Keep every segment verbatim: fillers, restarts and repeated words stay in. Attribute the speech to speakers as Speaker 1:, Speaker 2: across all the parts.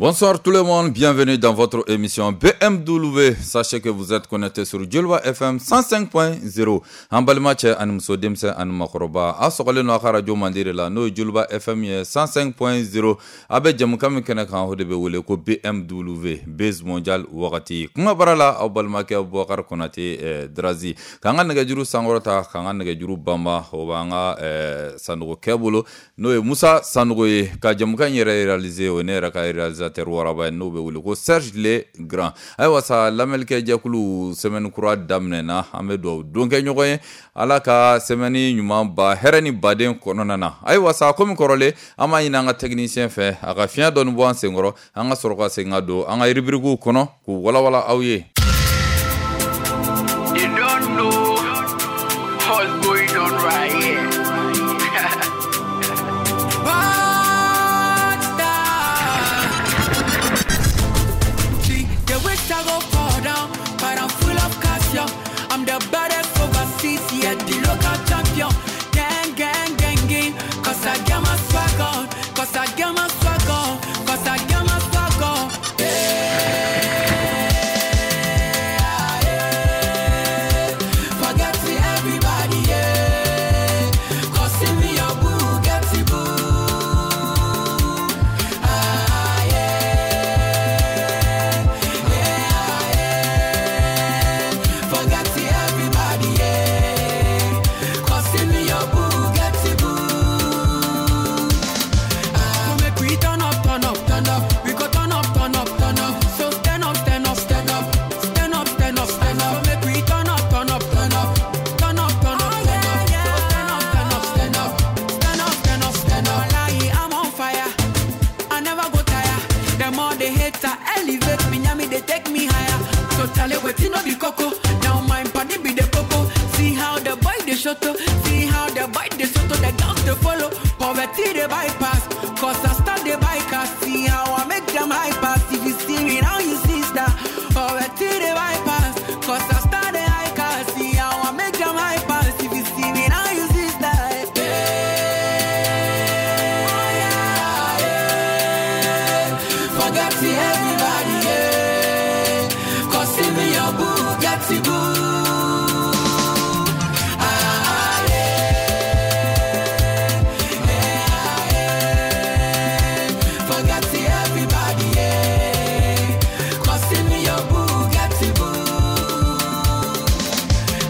Speaker 1: Bonsoir tout le monde, bienvenue dans votre émission B M W. Sachez que vous êtes connectés sur Joliba F M cent cinq point zéro. An balima cɛ ani muso, denmisɛn ani makɔrɔba, a sɔgɔlen don a ka radio mandi de la, n'o ye Joliba F M ye cent cinq point zéro. A bɛ jɛmukan min kɛnɛ kan, o de bɛ wele ko B M W, Buzz Mondial wagati. Kuma bara la, aw balimakɛ Boubacar Konate eh, Drazi. K'an ka nɛgɛjuru sankɔrɔta, k'an ka nɛgɛjuru banba, o b'an ka eh, Sanogo bolo, n'o ye Musa Sanogo ye. Ka jɛmukan in yɛrɛ réaliser, o ne yɛrɛ ka réalisateur waraba ye, n'o bɛ wele ko Serge Le Grand. Ayiwa sa, lamɛnnikɛ jɛkulu, semaine kura daminɛna, an bɛ dugawu don kɛ ɲɔgɔn ye, Ala ka semaine ɲuman ba hɛrɛ ni baden kɔnɔna na. Ayiwa sa, komi kɔrɔlen, an b'a ɲini an ka technicien fɛ, a ka fiɲɛ dɔɔni bɔ an senkɔrɔ, an ka sɔrɔ ka segin ka don an ka rubrique kɔnɔ k'u walawala aw ye.
Speaker 2: You don't know what's going on right here.
Speaker 3: Bad star. See, they wish I go fall down, but I'm full of calcium. I'm the baddest overseas, yeah, the local champion. Gang, gang, gang, gang. 'Cause I got my swag on, 'cause I got my swag on, 'cause I got my swag on. Yeah, yeah. Forget to everybody, yeah. 'Cause see me your Bugatti boo. Ah, yeah. Yeah, yeah. Forget to everybody, yeah. 'Cause see me your Bugatti boo. Ah, so make we turn up, turn up, turn up. We go turn up, turn up, turn up. So stand up, stand up, stand up. Stand up, stand up, stand up. So make we turn up, turn up, turn up. Turn up, turn up, turn up. So stand up, stand up, stand up. Stand up, stand up, stand up. Wallahi, I'm on fire. I never go tire. The more they hate, I elevate me, nyami, they take me higher. So tell it wetin no be coco. Now my body be the popo. See how the boy they shut up. See how the boy they shut up. The girls they follow. Poverty they bypass. 'Cause I start the bike. See how I make them high pass. If you see me now, you see star. Poverty they bypass. 'Cause I start the high car. See how I make them high pass. If you see me now, you see star. Yeah, yeah. Forget to everybody, yeah. 'Cause see me your Bugatti boo. Ah, yeah. Yeah, yeah. Forget to everybody, yeah. 'Cause see me your Bugatti boo.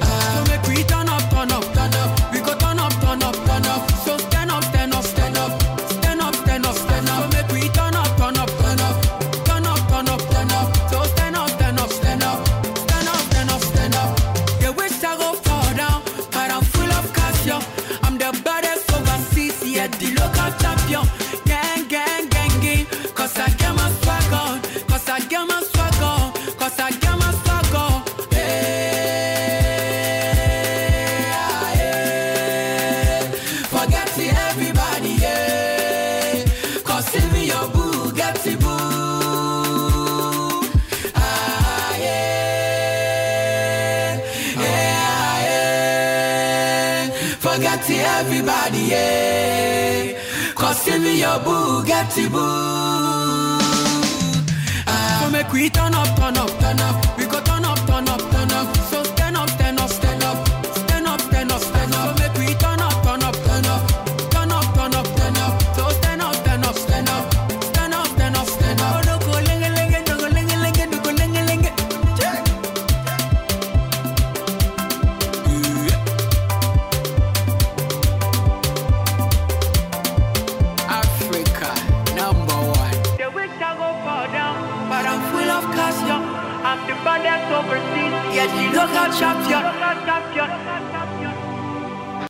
Speaker 3: Ah, so make we turn up, turn up, turn up. We go turn up, turn up, turn up. So stand up, stand up, stand up. Stand up, stand up, stand up. So make we turn up, turn up, turn up. Turn up, turn up, turn up. So stand up, stand up, stand up. Stand up, stand up, stand up. They wish I go fall down, but I'm full of calcium. I'm the baddest overseas, yeah, the local champion. Gang, gang, gang, gang. 'Cause I got my swag on. 'Cause I got my swag on. 'Cause I got my swag on. Yeah, yeah. Forget to everybody, yeah. 'Cause see me your Bugatti boo. Ah, yeah. Yeah, yeah. Forget to everybody, yeah. 'Cause see me your Bugatti boo. Ah, so make we turn up, turn up, turn up. We go turn up, turn up, turn up. So stand up, stand up, stand up. Stand up, stand up, stand up. So make we turn up, turn up, turn up. Turn up, turn up, turn up. So stand up, stand up, stand up. Stand up, stand up, stand up. Oh, no, go lenge, lenge, no, go lenge, lenge, no, go lenge, lenge. Yeah. Yeah.
Speaker 2: Africa, number one.
Speaker 3: They wish I go fall down, but I'm full of calcium. I'm the baddest overseas, yeah, the local champion.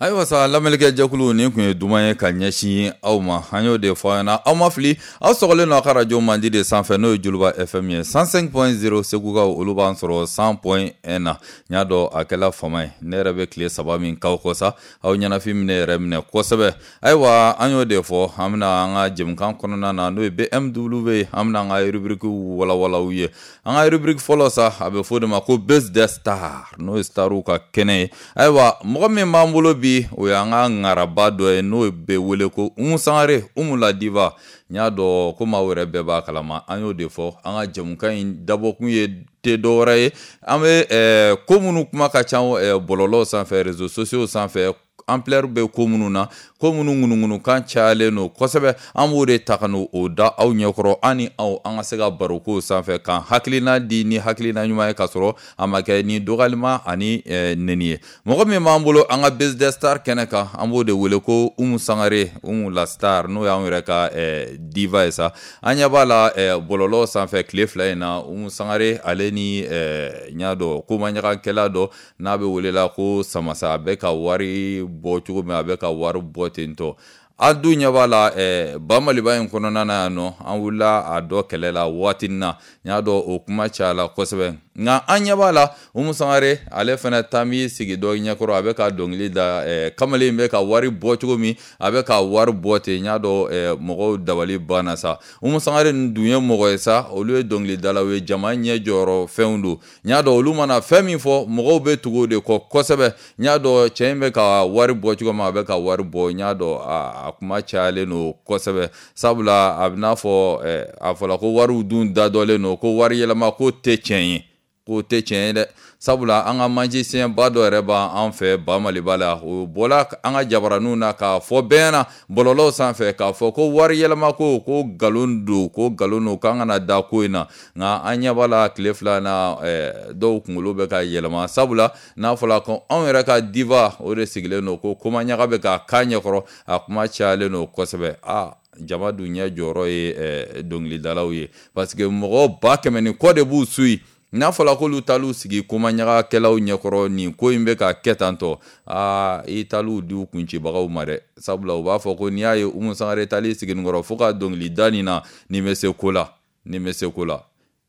Speaker 1: Ayiwa sa, lamɛnnikɛ jɛkulu, nin kun ye duman ye ka ɲɛsin aw ma. An y'o de fɔ aw ɲɛna, aw ma fili, aw sɔgɔlen don a ka radio mandi de sanfɛ, n'o ye Joliba F M ye cent cinq point zéro. Segukaw, olu b'an sɔrɔ cent point un na. N y'a dɔn a kɛla fama ye, ne yɛrɛ bɛ tile saba min k'aw kɔ sa, aw ɲɛnafin minɛ yɛrɛ minɛ kosɛbɛ. Ayiwa, an y'o de fɔ, an bɛna an ka jɛmukan kɔnɔna na, n'o ye B M W, an bɛna an ka rubrique walawala aw ye. An ka rubrique fɔlɔ sa, a bɛ fɔ o de ma ko Buzz des Stars, n'o ye starw ka kɛnɛ ye. Ayiwa, mɔgɔ min b'an bolo bi bi, o y'an ka ŋaraba dɔ ye n'o bɛ wele ko Umu Sangare, Umu la diva. N y'a dɔn ko maaw yɛrɛ bɛɛ b'a kalama, an y'o de fɔ an ka jɛmukan in dabɔkun ye tɛ dɔwɛrɛ ye, an bɛ eh, ko minnu kuma ka ca eh, bɔlɔlɔw sanfɛ, réseaux sociaux sanfɛ, ampleur bɛ ko minnu na, ko minnu ŋunuŋunukan cayalen don kosɛbɛ, an b'o de ta ka n'o da aw ɲɛkɔrɔ, an ni aw an ka se ka baro kow sanfɛ k'an hakilina di ni hakilina ɲuman ye, k'a sɔrɔ a ma kɛ ni dɔgɔyalima ani eh, neni ye. Mɔgɔ min b'an bolo an ka Buzz des Stars kɛnɛ kan, an b'o de wele ko Umu Sangare, Umu la star, n'o y'anw yɛrɛ ka eh, diva ye sa. An ɲɛ b'a la eh, bɔlɔlɔ sanfɛ tile fila in na, Umu Sangare ale ni eh, n y'a dɔn komaɲagakɛla dɔ n'a bɛ welela ko Samasa, a bɛ ka wari bɔ cogo min, a bɛ ka wari bɔ ten tɔ. An dun ɲɛ b'a la eh, ba Maliba in kɔnɔna na yan nɔ, an wulila a dɔ kɛlɛ la waati na, n y'a dɔn o kuma cayala kosɛbɛ, nka an ɲɛ b'a la Umu Sangare ale fana taa b'i sigi dɔ ɲɛkɔrɔ, a bɛ ka dɔnkili da, eh, kamalen bɛ ka wari bɔ cogo min, a bɛ ka wari bɔ ten, n y'a dɔn eh, mɔgɔw dabali banna sa. Umu Sangare ninnu dun ye mɔgɔ ye sa, olu ye dɔnkilidalaw ye, jama ɲɛ jɔyɔrɔ fɛnw don, n y'a dɔn olu mana fɛn min fɔ mɔgɔw bɛ tugu o de kɔ kosɛbɛ. N y'a dɔn cɛ in bɛ ka wari bɔ cogo min, a bɛ ka wari bɔ, n y'a dɔn a, a kuma cayalen don kosɛbɛ, sabula a bɛ n'a fɔ eh, a fɔla ko wariw dun dadɔlen don, ko wari yɛlɛma ko tɛ tiɲɛ ye, k'o tɛ tiɲɛ ye dɛ, sabula an ka magicien ba dɔ yɛrɛ b'an fɛ ba Maliba la, o bɔla an ka jabaraninw na k'a fɔ bɛɛ ɲɛna bɔlɔlɔw sanfɛ k'a fɔ ko wari yɛlɛma ko ko nkalon don, ko nkalon don, k'an kana da ko in na. Nka an ɲɛ b'a la tile fila na eh, dɔw kunkolo bɛ ka yɛlɛma, sabula n'a fɔra ko anw yɛrɛ ka diva o de sigilen don ko komaɲaga bɛ ka k'a ɲɛkɔrɔ, a kuma cayalen don kosɛbɛ. Aa, jama dun ɲɛ jɔyɔrɔ ye eh, dɔnkilidalaw ye, parce que mɔgɔ ba kɛmɛ ni kɔ de b'u suit. N'a fɔra k'olu taal'u sigi komaɲagakɛlaw ɲɛkɔrɔ, nin ko in bɛ ka kɛ tan tɔ, aa, i taal'u di u kuncibagaw ma dɛ, sabula u b'a fɔ ko n'i y'a ye Umu Sangare taali sigi nin kɔrɔ fo ka dɔnkili da nin na, nin bɛ se ko la, nin bɛ se ko la.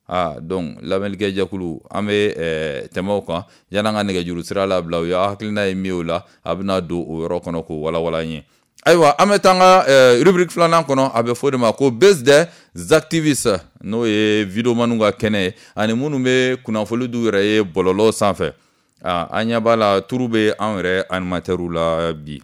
Speaker 1: Ah, donc lamɛnnikɛ jɛkulu, an bɛ eh, tɛmɛ o kan yan'an ka nɛgɛjuru sira labila, u y'a hakilina ye min ye o la, a bɛna don o yɔrɔ kɔnɔ k'o walawala an ye. Ayiwa, an bɛ taa an ka eh, rubrique filanan kɔnɔ, a bɛ fɔ o de ma ko Buzz des activistes, n'o ye videomaniw ka kɛnɛ ye ani minnu bɛ kunnafoni d'u yɛrɛ ye bɔlɔlɔ sanfɛ. Ah, an ɲɛ b'a la turu bɛ anw yɛrɛ animateurs la bi,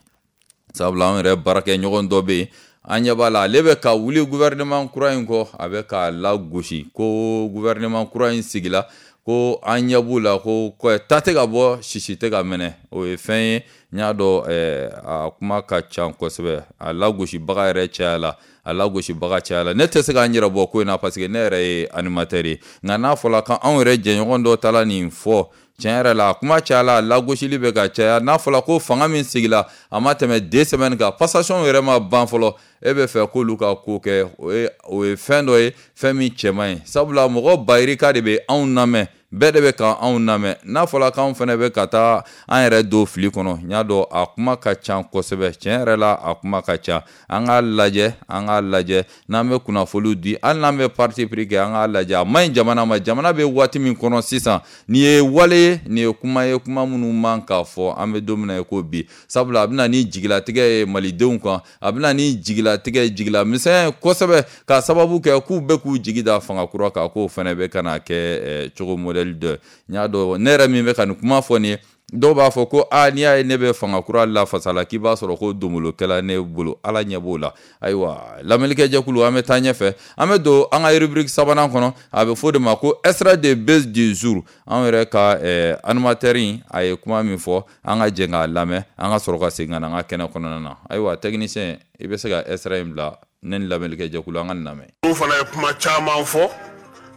Speaker 1: sabula anw yɛrɛ baarakɛɲɔgɔn dɔ bɛ yen, an ɲɛ b'a la ale bɛ ka wuli gouvernement kura in kɔ, a bɛ k'a lagosi ko gouvernement kura in sigila, ko an ɲɛ b'u la ko ta tɛ ka bɔ, sisi tɛ ka mɛnɛ. O ye fɛn ye, n y'a dɔn eh, a kuma ka ca kosɛbɛ, a lagosibaga yɛrɛ cayala, a lagosibaga cayala. Ne tɛ se k'an yɛrɛ bɔ ko in na parce que ne yɛrɛ ye animateur ye, nka n'a fɔra ko anw yɛrɛ jɛɲɔgɔn dɔ taara nin fɔ, tiɲɛ yɛrɛ la a kuma cayala, a lagosili bɛ ka caya. N'a fɔra ko fanga min sigila a ma tɛmɛ deux semaines kan, passation yɛrɛ ma ban fɔlɔ, e bɛ fɛ k'olu ka ko kɛ, o ye o ye fɛn dɔ ye, fɛn min cɛ man ɲi, sabula mɔgɔ bayirika de bɛ anw lamɛn, bɛɛ de bɛ ka anw lamɛn. N'a fɔra k'anw fana bɛ ka taa an yɛrɛ don fili kɔnɔ, n y'a dɔn a kuma ka ca kosɛbɛ, tiɲɛ yɛrɛ la a kuma ka ca. An k'a lajɛ, an k'a lajɛ n'an bɛ kunnafoniw di, hali n'an bɛ parti pris kɛ, an k'a lajɛ a man ɲi jamana ma. Jamana bɛ waati min kɔnɔ sisan, nin ye wale ye, nin ye kuma ye, kuma minnu man k'a fɔ an bɛ don min na i ko bi, sabula a bɛ na ni jigilatigɛ ye malidenw kan, a bɛ na ni jigilatigɛ jigila misɛnya ye kosɛbɛ, k'a sababu kɛ k'u bɛ k'u jigi da fanga kura kan, k'o fana bɛ ka na kɛ cogo modèle dɔ. N y'a dɔn ne yɛrɛ min bɛ ka nin kuma fɔ nin ye, dɔw b'a fɔ ko aa, n'i y'a ye ne bɛ fanga kura lafasa la, k'i b'a sɔrɔ ko donbolokɛla ne bolo, Ala ɲɛ b'o la. Ayiwa, lamɛnnikɛ jɛkulu, an bɛ taa ɲɛfɛ, an bɛ don an ka rubrique sabanan kɔnɔ, a bɛ fɔ o de ma ko extrait de buzz du jour. Anw yɛrɛ ka eh, animateur in a ye kuma min fɔ, an ka jɛ k'a lamɛn, an ka sɔrɔ ka segin ka na an ka kɛnɛ kɔnɔna na. Ayiwa, technicien, i bɛ se ka extrait in bila, ne ni lamɛnnikɛ jɛkulu an ka nin lamɛn.
Speaker 4: Olu fana ye kuma caman fɔ,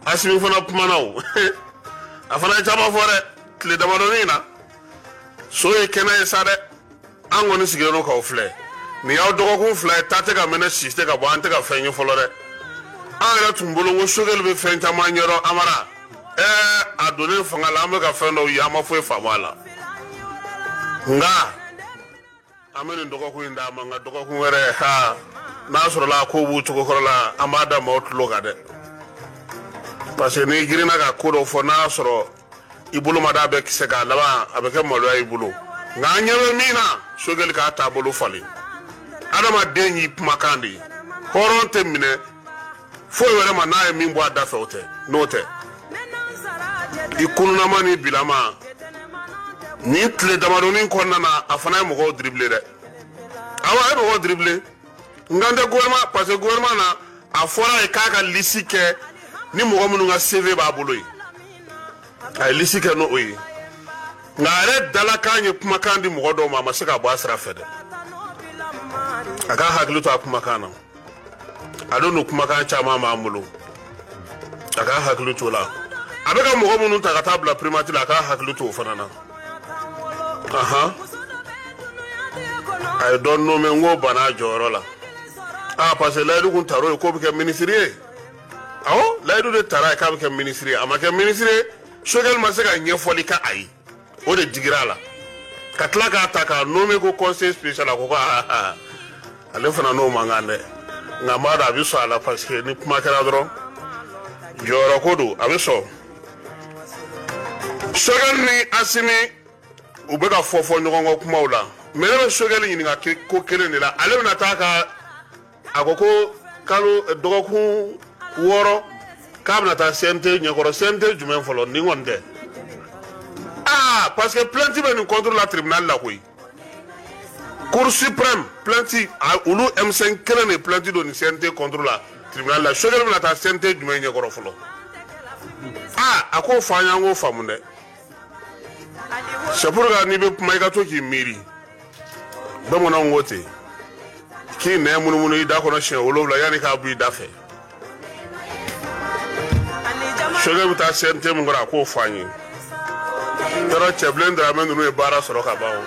Speaker 4: Asimi fana kumana o, a fana ye caman fɔ dɛ tile damadɔnin in na. So ye kɛnɛ ye sa dɛ, an kɔni sigilen don k'aw filɛ, nin y'aw dɔgɔkun fila ye, ta tɛ ka mɛnɛ, si tɛ ka bɔ, an tɛ ka fɛn ye fɔlɔ dɛ. An yɛrɛ tun bolo ko Sogɛli bɛ fɛn caman ɲɛdɔn Amara, ɛɛ a donnen fanga la, an bɛ ka fɛn dɔw ye, an ma foyi faamu a la, nka an bɛ nin dɔgɔkun in d'a ma, nka dɔgɔkun wɛrɛ ha, n'a sɔrɔla a ko b'u cogo kɔrɔ la, an b'a da maaw tulo kan dɛ, parce que n'i girinna ka ko dɔ fɔ, n'a y'a sɔrɔ i bolo ma d'a bɛɛ kisɛ k'a laban, a bɛ kɛ maloya i bolo. Nka an ɲɛ bɛ min na, Sogɛli k'a taabolo falen, adamaden y'i kumakan de ye, hɔrɔn tɛ minɛ foyi wɛrɛ ma n'a ye min bɔ a da fɛ, o tɛ, n'o tɛ i kununama ni bilama Nin tile damadɔnin kɔnɔna na, a fana ye mɔgɔw dribblé dɛ. Awɔ, a ye mɔgɔw dribblé. N kan tɛ gouvernement, parce que gouvernement na, a fɔra ye k'a ka liste kɛ ni mɔgɔ minnu ka C V b'a bolo ye. A ye liste kɛ n'o ye. Nka a yɛrɛ dalakan ye kumakan di mɔgɔ dɔw ma, a ma se ka bɔ a sira fɛ dɛ. A k'a hakili to a kumakan na. A don n'o kumakan caman b'an bolo. A k'a hakili to o la. A bɛ ka mɔgɔ minnu ta ka taa bila primature la, a k'a hakili to o fana na. Ahan. A ye dɔ nommé, n k'o banna a jɔyɔrɔ la. Ah, parce que layidu kun tar'o ye k'o bɛ kɛ ministre ye. Awɔ, layidu de tara ye k'a bɛ kɛ ministre ye. A ma kɛ ministre ye, Choguel ma se ka ɲɛfɔli kɛ a ye. O de digira a la. Ka tila k'a ta k'a nommé ko conseiller spécial, a ko ko aa, ale fana n'o man kan dɛ. Nka n b'a dɔn a bɛ sɔn a la, parce que ni kuma kɛra dɔrɔn, jɔyɔrɔ ko don, a bɛ sɔn. Choguel ni Assimi, u bɛ ka fɔ fɔ ɲɔgɔn kɔ kumaw la. Mais ne bɛ Choguel ɲininka ko kelen de la. Ale bɛna taa ka, a ko ko kalo dɔgɔkun wɔɔrɔ k'a bɛna taa C N T ɲɛkɔrɔ. C N T jumɛn fɔlɔ? Nin kɔni tɛ. Ah, parce que plainte bɛ nin contre la tribunal la koyi. Cour suprême, plainte, olu M cinq kelen de plainte don nin C N T contre la tribunal la. Choguel bɛna taa C N T jumɛn ɲɛkɔrɔ fɔlɔ? Ah, a k'o fɔ an ye, an k'o faamu dɛ. C'est pourquoi n'i bɛ kuma, i ka to k'i miiri. Bamananw ko ten k'i nɛn munumunu i da kɔnɔ siɲɛ wolonwula yanni k'a bɔ i da fɛ. Choguel bɛ taa C N T min kɔrɔ, a k'o fɔ an ye. Yɔrɔ Cɛbilen Dramɛ ninnu ye baara sɔrɔ ka ban o.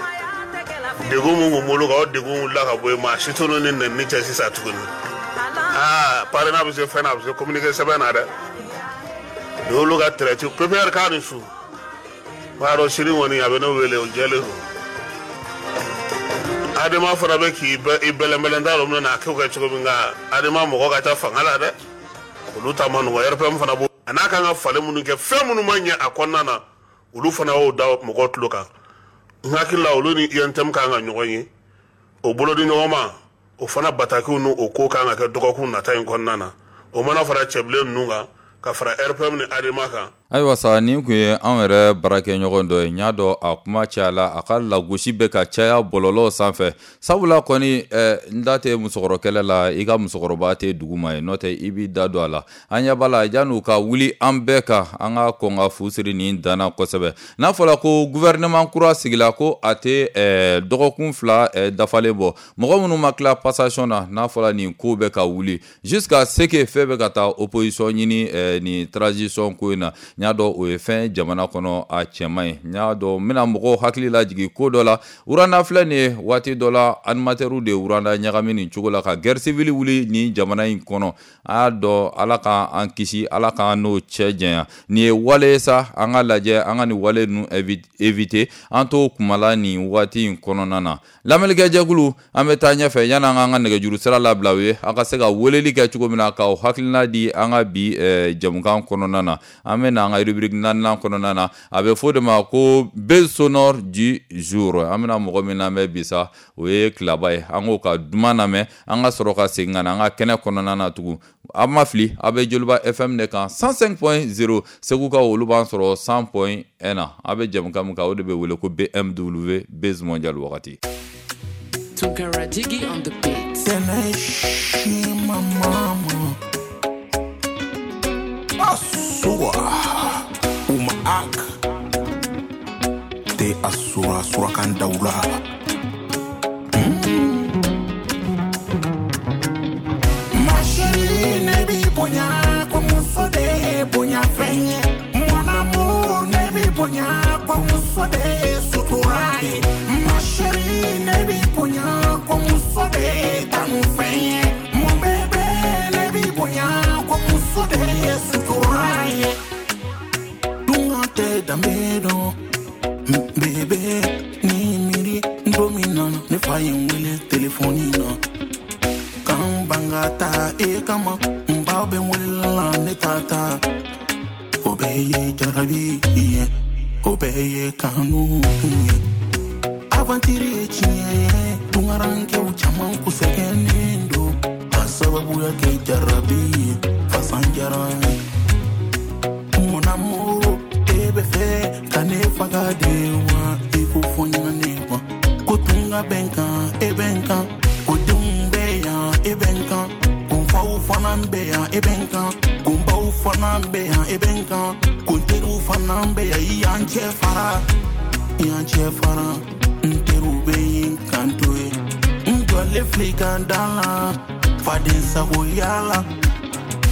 Speaker 4: Degun min kun b'olu kan, o degun wulila ka bɔ yen. Maa si t'olu ni nɛnini cɛ sisan tuguni. Aa, parrainage bɛ se fɛn na, a bɛ se communiqué sɛbɛn na dɛ. Nin y'olu ka traite P P R k'a ni su. B'a dɔn sini kɔni a bɛ ne wele, o jɛlen don. Adema fana bɛ k'i i bɛlɛnbɛlɛn, t'a dɔn bɛna a kɛ kɛ cogo min, nka Adema mɔgɔ ka ca fanga la dɛ. Olu ta ma nɔgɔn. R P M fana b'o a n'a kan ka falen minnu kɛ, fɛn minnu ma ɲɛ a kɔnɔna na, olu fana y'o da mɔgɔw tulo kan. N hakili la, olu ni U N T M kan ka ɲɔgɔn ye, o bolo di ɲɔgɔn ma, o fana batakiw n'o ko kan ka kɛ dɔgɔkun nata in kɔnɔna na. O mana fara Cɛbilen ninnu kan, ka fara R P M ni Adema kan.
Speaker 1: Ayiwa sa, nin kun ye anw yɛrɛ baarakɛɲɔgɔn dɔ ye. N y'a dɔn a kuma cayala, a ka lagosi bɛ ka caya bɔlɔlɔw sanfɛ. Sabula kɔni, n da tɛ musokɔrɔkɛlɛ la, i ka musokɔrɔba tɛ dugu ma ye, n'o tɛ i b'i da don a la. An ɲɛ b'a la, yan'u ka wuli an bɛɛ kan, an ka kɔn ka fu siri nin danna kosɛbɛ. N'a fɔra ko gouvernement kura sigila, ko a tɛ dɔgɔkun fila dafalen bɔ, mɔgɔ minnu ma tila passation na, n'a fɔra nin ko bɛ ka wuli jusqu'à ce que fɛn bɛ ka taa opposition ɲini nin transition ko in na, n y'a dɔn o ye fɛn jamana kɔnɔ a cɛman ye. N y'a dɔn n bɛna mɔgɔw hakili lajigin ko dɔ la. Rwanda filɛ nin ye, waati dɔ la animateurs de ye Rwanda ɲagami nin cogo la ka guerre civile wuli nin jamana in kɔnɔ. A y'a dɔn, Ala k'an kisi, Ala k'an n'o cɛ janya. Nin ye wale ye sa, an ka lajɛ an ka nin wale ninnu éviter. An t'o kumala nin waati in kɔnɔna na. Lamɛnnikɛjɛkulu, an bɛ taa ɲɛfɛ yanni an k'an ka nɛgɛjuru sira labila u ye, an ka se ka weleli kɛ cogo min na k'aw hakilina di an ka bi jɛmukan kɔnɔna na. An bɛ na an ka rubrique naaninan kɔnɔna na, a bɛ fɔ o de ma ko buzz sonore du jour. An bɛna mɔgɔ min lamɛn bi sa, o ye Kilaba ye. An k'o ka duman lamɛn, an ka sɔrɔ ka segin ka na an ka kɛnɛ kɔnɔna na tugun. Aw ma fili, aw bɛ Joliba F M de kan cent cinq point zéro. Segukaw, olu b'an sɔrɔ cent point un na. Aw bɛ jɛmukan min kan, o de bɛ wele ko B M W Buzz Mondial wagati.
Speaker 5: Tunkara Jiggy on the beat.
Speaker 6: Teneshima mama Asura Umaak Te asura surakan daula. Ma chérie, ne bi bonya ko muso de bonya fɛn ye. Mon amour, ne bi bonya ko muso de ye sutura ye. Ma chérie, ne bi bonya ko muso de kanu fɛn ye. Mon bébé, ne bi bonya ko muso de ye sutura ye. Tunga tɛ danbe dɔn. Bébé, ni miiri don min na ne fa ye n wele telefɔni na. Kan ban ka taa e kama, n baw bɛ n wele la, ne t'a ta. O bɛɛ ye jarabi ye, o bɛɛ ye kanu ye. Aventure ye tiɲɛ ye, tunkarankɛw caman kun sɛgɛnnen don ka sababuya kɛ jarabi ye, fasan diyara n ye. Mon amour, e bɛ fɛ ka ne faga de wa? Tunga bɛ n kan, e bɛ n kan. Ko denw bɛ yan, e bɛ n kan. Ko n faw fana bɛ yan, e bɛ n kan. Ko n baw fana bɛ yan, e bɛ n kan. Ko n teriw fana bɛ yan, i y'an cɛ fara. I y'an cɛ fara. N teriw bɛ yen k'an to yen. N jɔlen filɛ i ka da la, faden sagoya la.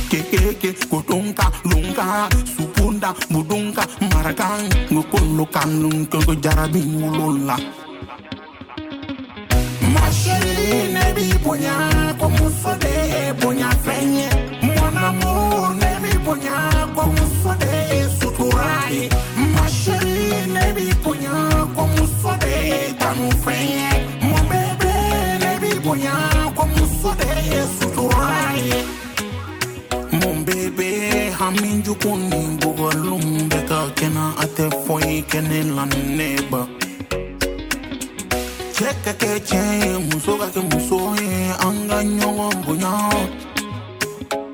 Speaker 6: Kekeke, kotonka, lunka, supunda, budunka, marakan, ngokolo kanun, koko jarabi wolola. Ma chérie, ne b'i bonya, ko muso de ye bonya fɛn ye. Mon amour, ne b'i bonya, ko muso de ye sutura ye. Ma chérie, ne b'i bonya, ko muso de ye kanu fɛn ye. Mon bébé, ne b'i bonya, ko muso de ye sutura ye. Mon bébé, hami jugu ni bugɔliw bɛ ka kɛ n na, a tɛ foyi kɛ ne la ne ba. Cɛ ka kɛ cɛ ye, muso ka kɛ muso ye, an ka ɲɔgɔn bonya.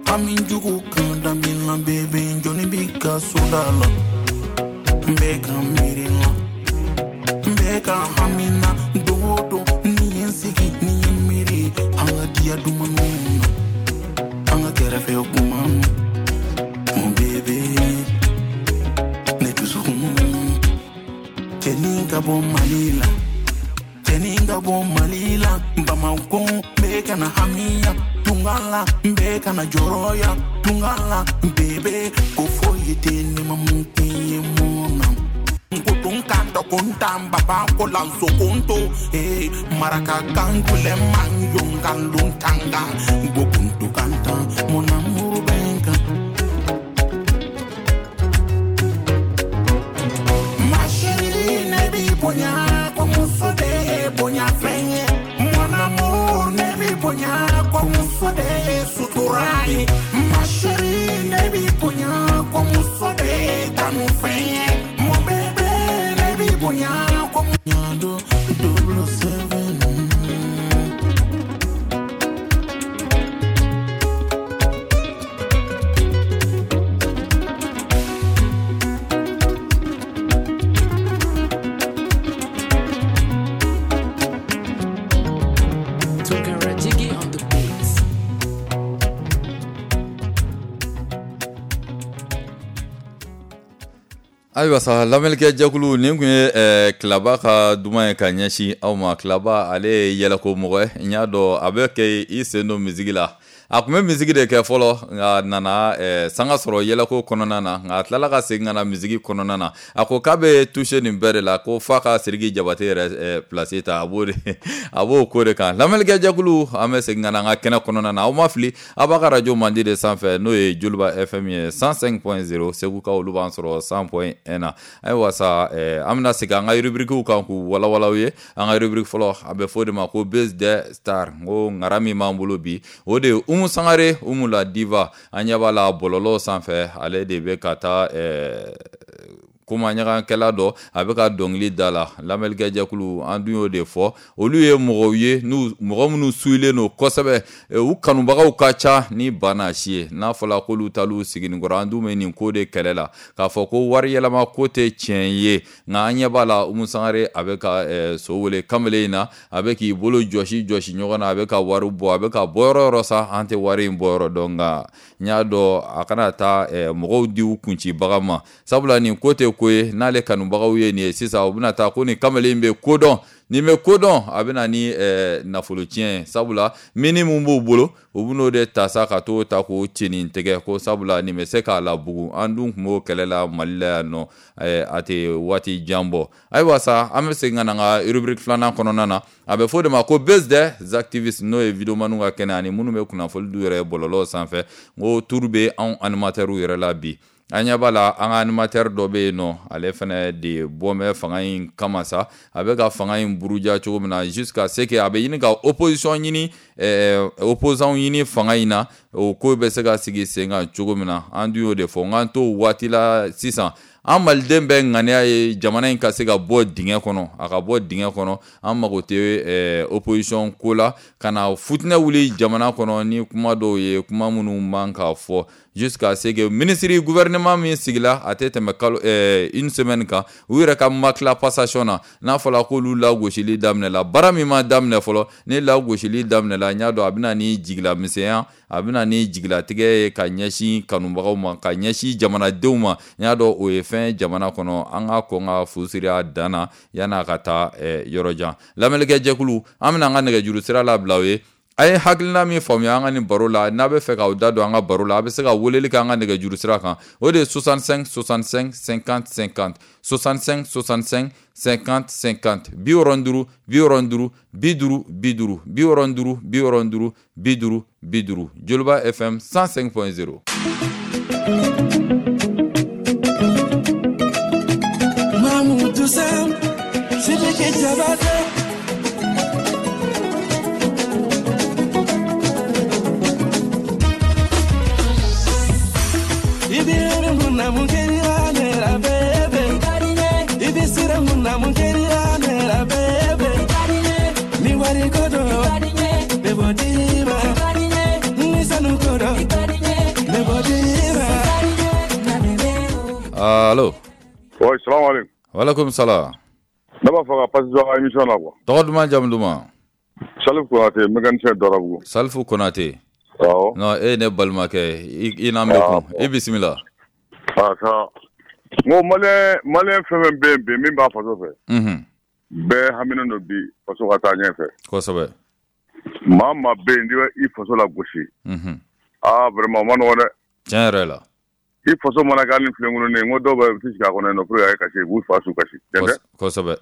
Speaker 6: Hami jugu kan da min la, bébé, jɔnni b'i ka so da la. N bɛ ka miiri la, n bɛ ka hami na, don o don ni ye n sigi, ni ye n miiri, an ka diya dumanw na. An ka kɛrɛfɛ kuma, mon bébé, ne dusukun. Cɛnin ka bɔ Mali la, cɛnin ka bɔ Mali la, Bamakɔ n bɛ ka na hamiya, tunga la n bɛ ka na jɔrɔya, tunga la bébé, ko foyi tɛ ne ma mun kɛ n ye mun na. Nkotonka tokunta baba ko lanso kunto eh maraka kangule manyonga luntanga ngokuntu kanta mon amour benka. Ma chérie, ne b'i bonya, ko muso de ye bonya fɛn ye. Mon amour, ne b'i bonya, ko muso de ye sutura ye. Ma chérie, ne b'i bonya, ko muso de ye kanu fɛn ye. Mon bébé, ne b'i bonya, ko muso double seven.
Speaker 5: Tunkara Jiggy on the beats.
Speaker 1: Ayiwa sa, lamɛnnikɛ jɛkulu, nin kun ye eh, Kilaba ka duman ye ka ɲɛsin aw ma. Kilaba ale ye yɛlɛko mɔgɔ ye, n y'a dɔn a bɛ kɛ i sen don misigi la. A kun bɛ misigi de kɛ fɔlɔ, nka nana eh, sanga sɔrɔ yɛlɛko kɔnɔna na, nka a tilala ka segin ka na misigi kɔnɔna na. A ko k'a bɛ toucher nin bɛɛ de la, ko f'a ka Sidiki Jabate yɛrɛ eh, place ta, a b'o de a b'o ko de kan. Lamɛnnikɛ jɛkulu, an bɛ segin ka na an ka kɛnɛ kɔnɔna na. Aw ma fili, aw b'a ka radio mandi de sanfɛ, n'o ye Joliba F M ye cent cinq point zéro, Segukaw olu b'an sɔrɔ cent point un na. Ayiwa sa, eh, an bɛna segin an ka rubrique kan k'u walawala aw ye. An ka rubrique fɔlɔ, a bɛ fɔ o de ma ko Base des Stars. N ko ŋara min b'an bolo bi, o de ye Umu Sangare, Umu la diva. An ɲɛ b'a la bɔlɔlɔ sanfɛ, ale de bɛ ka taa eh, kuma ɲagankɛla dɔ, a bɛ ka dɔnkili da la. Lamɛnnikɛ jɛkulu, an dun y'o de fɔ, olu ye mɔgɔw ye n'u mɔgɔ minnu suilen don kosɛbɛ, u kanubagaw ka ca ni bana si ye. N'a fɔra k'olu talu siginikɔrɔ, an dun bɛ nin ko de kɛlɛ la, k'a fɔ ko wari yɛlɛma ko tɛ tiɲɛ ye. Nka an ɲɛ b'a la, Umu Sangare a bɛ ka eh, so wele kamalen in na, a bɛ k'i bolo jɔsi jɔsi ɲɔgɔn na, a bɛ ka wari bɔ, a bɛ ka bɔ yɔrɔ yɔrɔ sa, an tɛ wari in bɔ yɔrɔ dɔn. Nka n y'a dɔn a kana taa eh, mɔgɔw di u kuncibaga ma, sabula nin ko tɛ ko ye. N'ale kanubagaw ye nin ye sisan, u bɛna taa ko nin kamalen bɛ ko dɔn, nin bɛ ko dɔn, a bɛna ni eh, nafolo tiɲɛ ye. Sabula mini mun b'u bolo, u bɛn'o de ta sa ka t'o ta k'o cɛnin tigɛ, ko sabula nin bɛ se k'a labugu. An dun tun b'o kɛlɛ la Mali la yan nɔ, eh, a tɛ waati jan bɔ. Ayiwa sa, an bɛ segin ka na an ka rubrique filanan kɔnɔna na. A bɛ fɔ o de ma ko Base des activistes, n'o ye videomaniw ka kɛnɛ ani minnu bɛ kunnafoni d'u yɛrɛ bɔlɔlɔ sanfɛ. N ko tour bɛ anw animateurs yɛrɛ la bi. An ɲɛ b'a la, an ka animateur dɔ bɛ yen nɔ, ale fana de bɔ bɛ fanga in kama sa. A bɛ ka fanga in buruja cogo min na, jusqu'à ce que a bɛ ɲini ka opposition ɲini, eh, opposant ɲini fanga in na, o ko bɛ se ka sigi sen kan cogo min na. An dun y'o de fɔ, n k'an t'o waati la sisan. An maliden bɛɛ ŋaniya ye jamana in ka se ka bɔ dingɛ kɔnɔ, a ka bɔ dingɛ kɔnɔ. An mago tɛ eh, opposition ko la ka na futinɛ wuli jamana kɔnɔ ni kuma dɔw ye, kuma minnu man ka fɔ, jusqu'à ce que ministre gouvernement min sigila a tɛ tɛmɛ kalo eh, une semaine kan, u yɛrɛ ka ma tila passation na. N'a fɔra k'olu lagosili daminɛla, baara min ma daminɛ fɔlɔ, ni lagosili daminɛla, n y'a dɔn a bɛna ni jigilamisɛnya, a bɛna ni jigilatigɛ ye ka ɲɛsin kanubagaw ma, ka ɲɛsin jamanadenw ma. N y'a dɔn o ye fɛn jamana kɔnɔ, an ka kɔn ka fu siri a dan na yan'a ka taa eh, yɔrɔ jan. Lamɛnnikɛ jɛkulu, an bɛna an ka nɛgɛjuru sira labila o ye. A ye hakilina min faamuya an ka nin baro la, n'a bɛ fɛ k'aw da don an ka baro la, a bɛ se ka weleli kɛ an ka nɛgɛjuru sira kan. O de ye soixante-cinq soixante-cinq cinquante cinquante, soixante-cinq soixante-cinq cinquante cinquante, bi wɔɔrɔ duuru bi wɔɔrɔ duuru bi duuru bi duuru, bi wɔɔrɔ duuru bi wɔɔrɔ duuru bi duuru bi duuru. Joliba F M cent cinq point zéro.
Speaker 3: Mamoudou Sam, Sidiki Diabaté.
Speaker 1: Allo.
Speaker 7: Oui, salam alaikum.
Speaker 1: Wa alaikum salam.
Speaker 7: Ne b'a fɛ ka participer a émission na quoi.
Speaker 1: Tɔgɔ duman, jamu duman?
Speaker 7: Salifu Konate, mécanicien Dɔrabugu.
Speaker 1: Salifu Konate.
Speaker 7: Awɔ.
Speaker 1: Non, e ne balimakɛ, i n'an bɛ kun. I bisimila.
Speaker 7: Ah ça. N ko malien malien fɛn fɛn bɛ yen bi min b'a faso fɛ.
Speaker 1: Unhun.
Speaker 7: Bɛɛ haminen don bi faso ka taa ɲɛfɛ.
Speaker 1: Kosɛbɛ.
Speaker 7: Maa maa bɛ yen n'i bɛ i faso lagosi.
Speaker 1: Unhun.
Speaker 7: Ah vraiment o ma nɔgɔn dɛ.
Speaker 1: Tiɲɛ yɛrɛ la.
Speaker 7: I faso mana kɛ hali ni filenkolon ye, n ko dɔw bɛ u tɛ sigi a kɔnɔ yen nɔ pour que a ye kasi, u b'u fa su kasi. Tiɲɛ tɛ?
Speaker 1: Kosɛbɛ.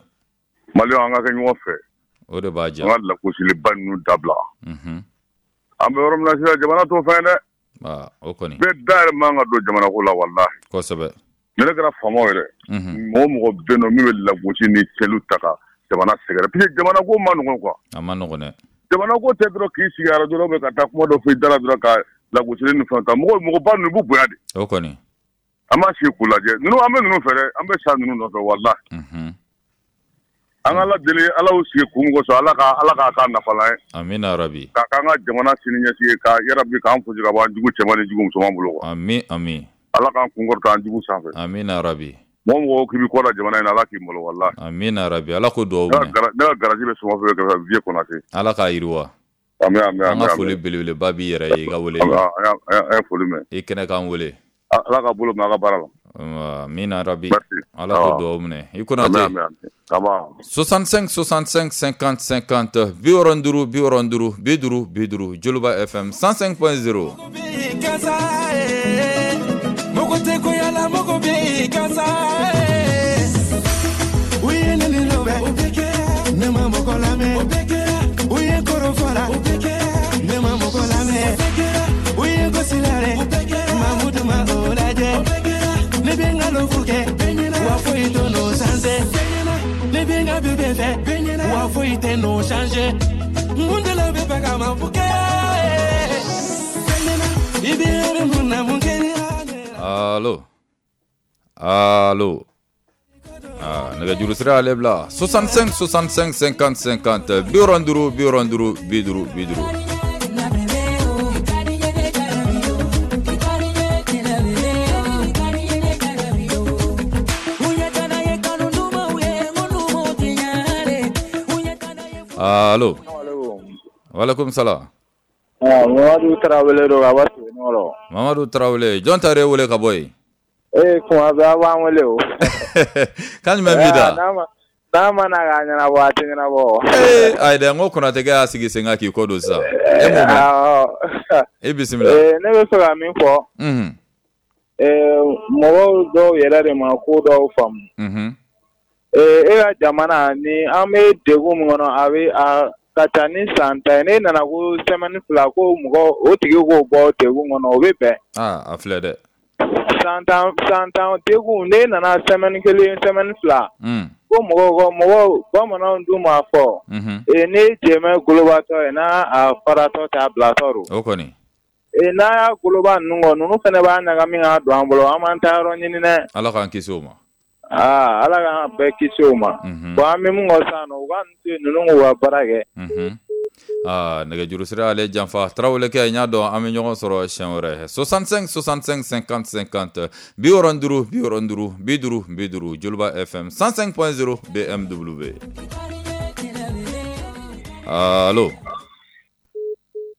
Speaker 7: Maliyɛnw, an ka kɛ ɲɔgɔn fɛ.
Speaker 1: O de b'a diya.
Speaker 7: An ka lagosiliba ninnu dabila.
Speaker 1: Unhun.
Speaker 7: An bɛ yɔrɔ min na sisan, jamana t'o fɛn dɛ.
Speaker 1: Aa, o kɔni.
Speaker 7: Bɛɛ da yɛrɛ man ka don jamana ko la walahi.
Speaker 1: Kosɛbɛ.
Speaker 7: Ni ne kɛra faamaw yɛrɛ.
Speaker 1: Unhun.
Speaker 7: Mɔgɔ mɔgɔ bɛ yen nɔ min bɛ lagosi ni cɛlu ta ka jamana sɛgɛrɛ, parce que jamana ko ma nɔgɔn quoi.
Speaker 1: A ma nɔgɔn dɛ.
Speaker 7: Jamana ko tɛ dɔrɔn k'i sigi arajo la ka taa kuma dɔ fɔ i da la dɔrɔn ka lagosili ni fɛnw ta. Mɔgɔ mɔgɔba ninnu b'u bonya de.
Speaker 1: O kɔni.
Speaker 7: An b'a sigi k'u lajɛ. Ninnu, an bɛ ninnu fɛ dɛ, an bɛ sa ninnu nɔfɛ walahi.
Speaker 1: Unhun.
Speaker 7: An ka Ala deli, Ala y'u sigi kun min kosɔn, Ala ka Ala k'a k'a nafalan ye.
Speaker 1: Amina rabi.
Speaker 7: K'a k'an ka jamana sini ɲɛsigi ye, ka yarabi k'an fosi ka bɔ an jugu cɛman ni jugu musoman bolo quoi.
Speaker 1: Ami ami.
Speaker 7: Ala k'an kun kɔrɔta an jugu sanfɛ.
Speaker 1: Amina rabi.
Speaker 7: Mɔgɔ mɔgɔ k'i bɛ kɔ da jamana in na, Ala k'i malo walahi.
Speaker 1: Amina rabi. Ala k'o duwawu minɛ.
Speaker 7: Ne ka garage bɛ Sɔgɔfɛ kɛrɛfɛ Vieux Konate.
Speaker 1: Ala k'a yiriwa.
Speaker 7: Ami ami ami.
Speaker 1: An ka foli belebeleba b'i yɛrɛ ye i ka wele.
Speaker 7: An ye foli mɛn.
Speaker 1: I kɛnɛ k'an wele.
Speaker 7: Ala ka bolo mɛn a ka baara la.
Speaker 1: Amina rabi. Ala k'o duwawu minɛ. I Konate.
Speaker 7: Ami ami.
Speaker 1: soixante-cinq soixante-cinq cinquante cinquante, bi wɔɔrɔ duuru bi wɔɔrɔ duuru bi duuru bi duuru, Joliba F M cent cinq point zéro. Allo. Allo. Ah, nɛgɛjuru sira y'ale bila soixante-cinq soixante-cinq cinquante cinquante, bi wɔɔrɔ duuru bi wɔɔrɔ duuru bi duuru bi duuru. Allo. Walaikum salam.
Speaker 8: Ah, Mamadu Tarawele don ka bɔ Sebenikɔrɔ.
Speaker 1: Mamadu Tarawele, jɔn ta yɛrɛ wele ka bɔ yen?
Speaker 8: Ee, kuma bɛɛ a b'an wele o.
Speaker 1: Kan jumɛn b'i da?
Speaker 8: N'a ma na k'a ɲɛnabɔ, a tɛ ɲɛnabɔ.
Speaker 1: Ee, ayi dɛ, n ko Konatɛkɛ y'a sigi sen kan k'i kɔ don sisan. E m'o mɛn?
Speaker 8: Awɔ.
Speaker 1: E bisimila.
Speaker 8: Ee, ne bɛ fɛ ka min fɔ.
Speaker 1: Unhun.
Speaker 8: Ee, mɔgɔw dɔw yɛrɛ de ma ko dɔw faamu.
Speaker 1: Unhun.
Speaker 8: Ee, e ka jamana ni an bɛ degun min kɔnɔ, a bɛ a ka ca ni san tan ye. Ne nana ko semaine fila ko mɔgɔ o tigi k'o bɔ degun kɔnɔ, o bɛ bɛn.
Speaker 1: Aa, a filɛ dɛ.
Speaker 8: San tan san tan degun, ne nana semaine kelen semaine fila.
Speaker 1: Mm.
Speaker 8: Ko mɔgɔw ko mɔgɔw bamananw dun b'a fɔ.
Speaker 1: Unhun.
Speaker 8: Ee, ne jɛmɛ golobatɔ ye n'a a faratɔ t'a bilatɔ don.
Speaker 1: O kɔni.
Speaker 8: Ee n'a y'a goloba ninnu kɔ, ninnu fana b'a ɲagami k'a don an bolo, an b'an ta yɔrɔ ɲini dɛ.
Speaker 1: Ala k'an kisi o ma.
Speaker 8: Aa, Ala k'an bɛɛ kisi o ma. Bon, an bɛ mun kɔ sisan nɔ, u ka ninnu to yen, ninnu k'u ka baara kɛ.
Speaker 1: Aa, nɛgɛjuru sira ale janfa. Tarawelekɛ, n y'a dɔn an bɛ ɲɔgɔn sɔrɔ siɲɛ wɛrɛ. Soixante-cinq soixante-cinq cinquante cinquante, bi wɔɔrɔ duuru bi wɔɔrɔ duuru bi duuru bi duuru, Joliba F M cent cinq point zéro B M W. Allo.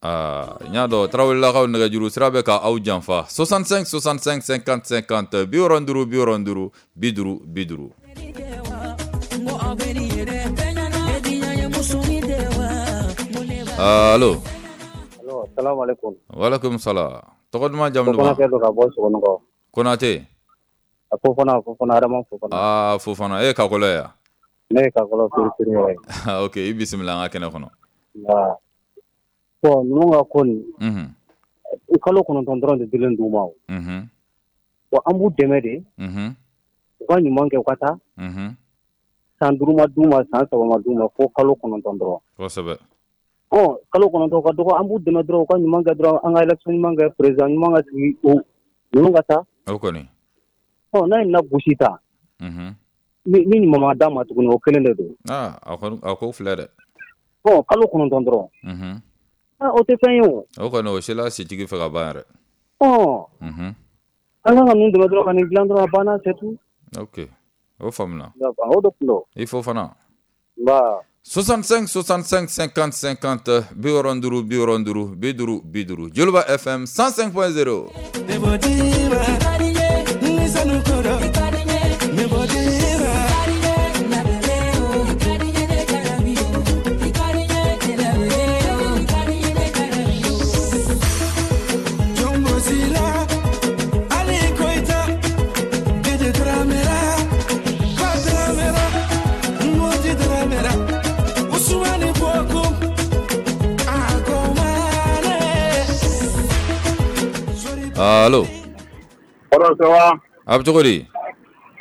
Speaker 1: Aa, n y'a dɔn Tarawelelakaw, nɛgɛjuru sira bɛ ka aw janfa. Soixante-cinq soixante-cinq cinquante cinquante, bi wɔɔrɔ duuru bi wɔɔrɔ duuru bi duuru bi duuru. Allo.
Speaker 9: Allo, salamu alaikum.
Speaker 1: Walaikum salam. Tɔgɔ duman, jamu duman?
Speaker 9: Konate don ka bɔ Sogonikɔ.
Speaker 1: Konate.
Speaker 9: A Fofana, Fofana, Adama Fofana.
Speaker 1: Aa, Fofana, e ye Kakɔlɔ ye wa?
Speaker 9: Ne ye Kakɔlɔ firifiri yɛrɛ ye.
Speaker 1: Ok, i bisimila an ka kɛnɛ kɔnɔ.
Speaker 9: Nka bon, ninnu ka ko nin,
Speaker 1: Unhun.
Speaker 9: kalo kɔnɔntɔn dɔrɔn de dilen d'u ma o.
Speaker 1: Unhun.
Speaker 9: Bon, an b'u dɛmɛ de.
Speaker 1: Unhun.
Speaker 9: U ka ɲuman kɛ, u ka taa.
Speaker 1: Unhun.
Speaker 9: San duuru ma d'u ma, san saba ma d'u ma, fo kalo kɔnɔntɔn dɔrɔn.
Speaker 1: Kosɛbɛ.
Speaker 9: Ɔ, kalo kɔnɔntɔn ka dɔgɔ, an b'u dɛmɛ dɔrɔn, u ka ɲuman kɛ dɔrɔn, an ka élection ɲuman kɛ, président ɲuman ka sigi, o ninnu ka taa.
Speaker 1: O kɔni.
Speaker 9: Ɔ, n'a ye na gosi ta.
Speaker 1: Unhun.
Speaker 9: Ni ni ɲuman ma d'a ma tuguni, o kelen de don.
Speaker 1: Aa, a kɔni a ko filɛ dɛ.
Speaker 9: Ɔ, kalo kɔnɔntɔn dɔrɔn.
Speaker 1: Unhun.
Speaker 9: Ah, o tɛ fɛn ye o.
Speaker 1: O kɔni, o sela sitigi fɛ ka ban yɛrɛ.
Speaker 9: Ɔ.
Speaker 1: Unhun.
Speaker 9: An kan ka ninnu dɛmɛ dɔrɔn ka nin dilan dɔrɔn, a banna, c'est tout.
Speaker 1: Ok, o faamuna.
Speaker 9: D'accord, o de tun don.
Speaker 1: I Fofana.
Speaker 9: Nba.
Speaker 1: Soixante-cinq soixante-cinq cinquante cinquante, bi wɔɔrɔ duuru bi wɔɔrɔ duuru bi duuru bi duuru, Joliba F M cent cinq point zéro. Allo.
Speaker 10: Kɔrɔ, ça va?
Speaker 1: A bɛ cogo di?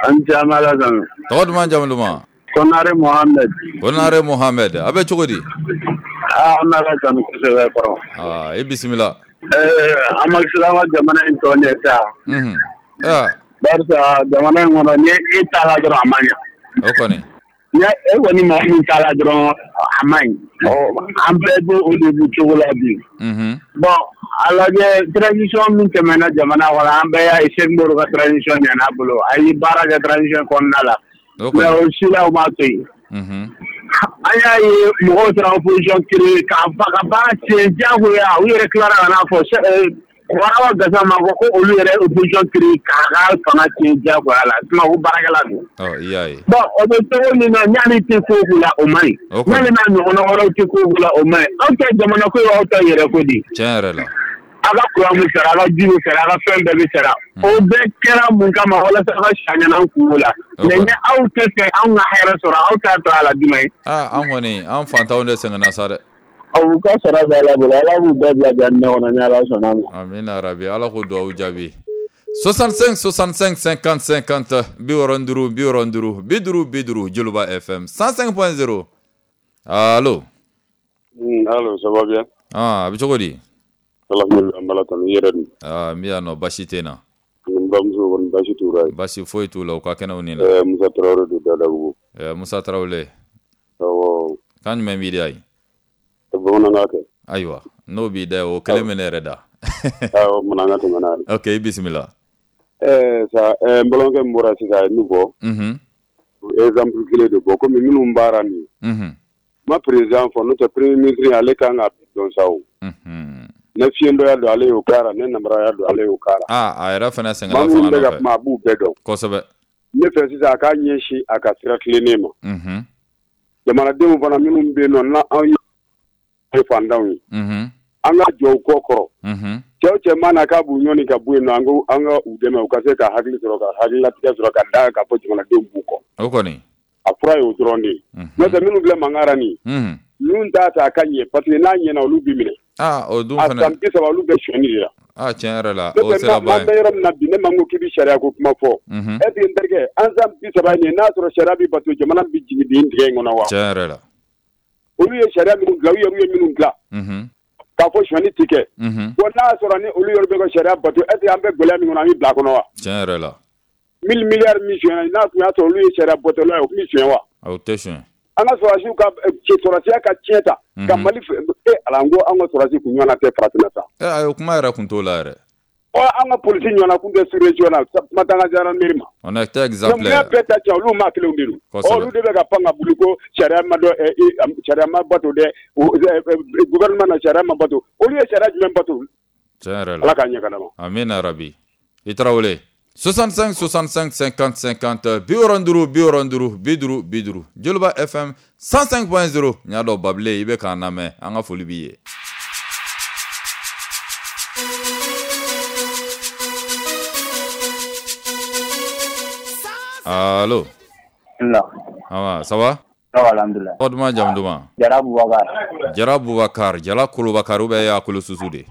Speaker 10: An cɛ, an bɛ Ala tanu.
Speaker 1: Tɔgɔ duman, jamu duman?
Speaker 10: Konare Mohamed.
Speaker 1: Konare Mohamed, a bɛ cogo di?
Speaker 10: Aa, an bɛ Ala tanu kosɛbɛ, kɔrɔ.
Speaker 1: Aa, i bisimila.
Speaker 10: Ɛɛ, an ma sila an ka jamana in tɔ ɲɛ sa.
Speaker 1: Unhun. Aa.
Speaker 10: Barisa jamana in kɔnɔ, ni e taara dɔrɔn, a ma ɲa.
Speaker 1: O kɔni.
Speaker 10: Ni e kɔni maa min taara dɔrɔn, a ma ɲi. Ɔ, an bɛɛ b'o o de bu cogo la bi.
Speaker 1: Unhun.
Speaker 10: Bon, a lajɛ, transition min tɛmɛna jamana kɔnɔ, an bɛɛ y'a ye, Sékou Modibo ka transition ɲɛna a bolo. A ye baara kɛ transition kɔnɔna la.
Speaker 1: O
Speaker 10: Mais
Speaker 1: kɔni.
Speaker 10: o si la, o m'a to yen.
Speaker 1: Unhun.
Speaker 10: An y'a ye mɔgɔw taara opposition créer k'a fa ka baara tiɲɛ diyagoya, u yɛrɛ tilara ka n'a fɔ Warawa Gassama ko ko olu yɛrɛ opposition créer k'a ka fanga tiɲɛ diyagoya la, sinon ko baarakɛla don.
Speaker 1: Ɔ, i y'a ye.
Speaker 10: Bon, o bɛ cogo min na, ɲani tɛ ko o la, o man ɲi.
Speaker 1: O kɔni.
Speaker 10: Ɲani n'a ɲɔgɔnna wɛrɛw tɛ ko o la, o man ɲi. Aw tɛ jamana ko ye, aw ta yɛrɛ ko di.
Speaker 1: Tiɲɛ yɛrɛ la.
Speaker 10: A ka courant bɛ sara, a ka ji bɛ sara, a ka fɛn bɛɛ bɛ sara. O bɛɛ kɛra mun kama? Walasa a ka sa ɲɛna kungo la.
Speaker 1: O
Speaker 10: Mais
Speaker 1: kɔni.
Speaker 10: ni aw tɛ fɛ anw ka hɛrɛ sɔrɔ, aw t'a to a la jumɛn ye?
Speaker 1: Aa, an kɔni, an fantanw de sɛgɛnna sa dɛ.
Speaker 10: U ka sara bɛ Ala bolo, Ala b'u bɛɛ bila jahanama kɔnɔ ni Ala sɔnna ma.
Speaker 1: Amina rabi, Ala k'o duwawu jaabi. Soixante-cinq soixante-cinq cinquante cinquante, bi wɔɔrɔ duuru bi wɔɔrɔ duuru bi duuru bi duuru, Joliba F M cent cinq point zéro. Allo.
Speaker 7: Allo, ça va bien?
Speaker 1: Ah, a bɛ cogo di?
Speaker 7: Alhamdulillah, an b'Ala tanu, i yɛrɛ dun?
Speaker 1: Aa, n bɛ yan nɔ, basi tɛ n na.
Speaker 7: N bamuso kɔni, basi t'u la yen?
Speaker 1: Basi foyi t'u la, u ka kɛnɛw ni la.
Speaker 7: Ɛɛ, Musa Tarawele don Dadabugu.
Speaker 1: Ɛɛ, Musa Tarawele.
Speaker 7: Awɔ.
Speaker 1: Kan jumɛn b'i da yen?
Speaker 7: Bamanankan kɛ.
Speaker 1: Ayiwa, n'o b'i da, o kelen bɛ ne yɛrɛ da.
Speaker 7: Awɔ, mana an ka tɛmɛ n'a ye.
Speaker 1: Ok, i bisimila.
Speaker 7: Ɛɛ sa, ɛɛ n balimakɛ min bɔra sisan, a ye min fɔ,
Speaker 1: Unhun.
Speaker 7: exemple kelen de bɔ, komi minnu baara nin ye.
Speaker 1: Unhun.
Speaker 7: Ma président fɔ, n'o tɛ premier ministre, ale kan ka dɔn sa o.
Speaker 1: Unhun.
Speaker 7: Ne fiyentɔya don, ale y'o k'a la, ne namaraya don, ale y'o k'a la.
Speaker 1: Aa, a yɛrɛ fana
Speaker 7: Maa
Speaker 1: sɛgɛnna
Speaker 7: minnu
Speaker 1: fanga
Speaker 7: bɛ ka
Speaker 1: nɔfɛ.
Speaker 7: kuma, a b'u bɛɛ dɔn.
Speaker 1: Kosɛbɛ.
Speaker 7: Ne fɛ sisan, a k'a ɲɛsin a ka sira tilennen ma.
Speaker 1: Unhun.
Speaker 7: Jamanadenw fana minnu bɛ yen nɔ, n'anw ye fantanw ye,
Speaker 1: Unhun.
Speaker 7: an ka jɔ u kɔ kɔrɔ.
Speaker 1: Unhun.
Speaker 7: Cɛw cɛ mana k'a b'u ɲɔni ka bɔ yen nɔ, an ko an ka u dɛmɛ, u ka se ka hakili sɔrɔ, ka hakililatigɛ sɔrɔ, ka da kan fɔ jamanadenw b'u kɔ.
Speaker 1: O kɔni.
Speaker 7: A fura ye o dɔrɔn de ye. N'o tɛ, minnu filɛ mankan na nin ye,
Speaker 1: Unhun.
Speaker 7: ninnu t'a ta a ka ɲɛ, parce que n'a ɲɛna, olu b'i minɛ.
Speaker 1: Aa, o dun
Speaker 7: A
Speaker 1: fana.
Speaker 7: san bi saba, olu bɛ sonyani de la.
Speaker 1: Aa, tiɲɛ yɛrɛ la,
Speaker 7: N'o
Speaker 1: o
Speaker 7: tɛ,
Speaker 1: sera
Speaker 7: n'an
Speaker 1: ban
Speaker 7: bɛ
Speaker 1: ye.
Speaker 7: yɔrɔ min na bi, ne ma ko k'i bɛ sariya ko kuma fɔ.
Speaker 1: Unhun.
Speaker 7: Est ce que n terikɛ, an san bi saba ye nin ye, n'a sɔrɔ sariya bɛ bato, jamana bɛ jigin bin dingɛ in kɔnɔ wa?
Speaker 1: Tiɲɛ yɛrɛ la.
Speaker 7: Olu ye sariya minnu dilan, u yɛrɛ ye minnu dilan.
Speaker 1: Unhun.
Speaker 7: K'a fɔ sonyali ti kɛ.
Speaker 1: Unhun.
Speaker 7: Bon n'a y'a sɔrɔ ni olu yɛrɛ bɛ ka sariya bato, est ce que an bɛ gɛlɛya min kɔnɔ, an bɛ bila a kɔnɔ wa?
Speaker 1: Tiɲɛ yɛrɛ la.
Speaker 7: mille milliards min sonyɛna, n'a tun y'a sɔrɔ olu ye sariya batolaw ye, o tun bɛ sonya wa?
Speaker 1: O tɛ sonya.
Speaker 7: An ka sɔrɔdasiw ka sɔrɔdasiya ka tiɲɛ ta. Ka Mali e Ala, n ko an ka sɔrɔdasi kun ɲɔgɔnna tɛ farafinna sa.
Speaker 1: Ɛ ayi, o kuma yɛrɛ kun t'o la yɛrɛ.
Speaker 7: Ɔ an ka polisi ɲɔgɔnna kun tɛ sous-région na, kuma t'an ka gendarmerie ma.
Speaker 1: On est exemplaire.
Speaker 7: Mun y'a bɛɛ ta tiɲɛ, olu maa kelenw de don. Ɔ olu de bɛ ka pan ka boli ko sariya ma dɔn, sariya ma bato dɛ, gouvernement na sariya ma bato. Olu ye sariya jumɛn bato?
Speaker 1: Tiɲɛ yɛrɛ la.
Speaker 7: Ala k'a ɲɛ ka d'an ma.
Speaker 1: Amina rabi. I Tarawele. soixante-cinq soixante-cinq cinquante cinquante bi wɔɔrɔ ni duuru bi wɔɔrɔ ni duuru bi duuru bi duuru Joliba F M cent cinq point zéro. N y'a dɔn Babile i bɛ k'an lamɛn, an ka foli b'i ye. Allo.
Speaker 11: La.
Speaker 1: Ah, ça va?
Speaker 11: Ça va, alhamdoulilah.
Speaker 1: Tɔgɔ duman, jamu duman?
Speaker 11: Jara Bubakar.
Speaker 1: Jara Bubakar, Jara Kolobakar ou bien y'a kolo susu de?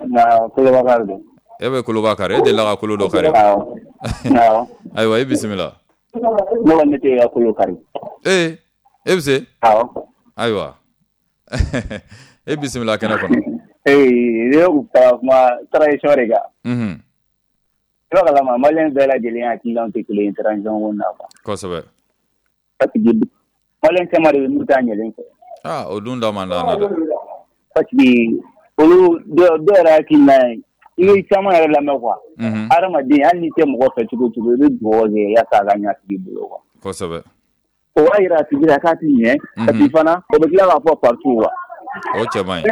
Speaker 11: Na Kolobakar don.
Speaker 1: E bɛ Kolobakar, e delila ka kolo dɔ kari?
Speaker 11: Awɔ. Awɔ.
Speaker 1: Ayiwa, i bisimila.
Speaker 11: Ne kɔni ne tɛ ka kolo kari.
Speaker 1: Ee, e bɛ se?
Speaker 11: Awɔ.
Speaker 1: Ayiwa. E bisimila kɛnɛ kɔnɔ.
Speaker 11: Ee, ne kun ka kuma transition de kan.
Speaker 1: Unhun.
Speaker 11: I b'a kalama maliyɛn bɛɛ lajɛlen hakilinaw tɛ kelen ye transition ko na quoi.
Speaker 1: Kosɛbɛ.
Speaker 11: Parce que maliyɛn caman de bɛ n'u t'a ɲɛlen fɛ.
Speaker 1: Ah, o dun da man d'an na dɛ.
Speaker 11: Parce que olu dɔw dɔw yɛrɛ hakilina ye, i bɛ caman yɛrɛ lamɛn quoi.
Speaker 1: Unhun.
Speaker 11: Hadamaden hali n'i tɛ mɔgɔ fɛ cogo o cogo, i bɛ dugawu kɛ yaasa a ka ɲɛ a tigi bolo quoi.
Speaker 1: Kosɛbɛ.
Speaker 11: O b'a yira a tigi la k'a ti ɲɛ. Parce que fana o bɛ tila k'a fɔ partout quoi.
Speaker 1: O cɛ man ɲi.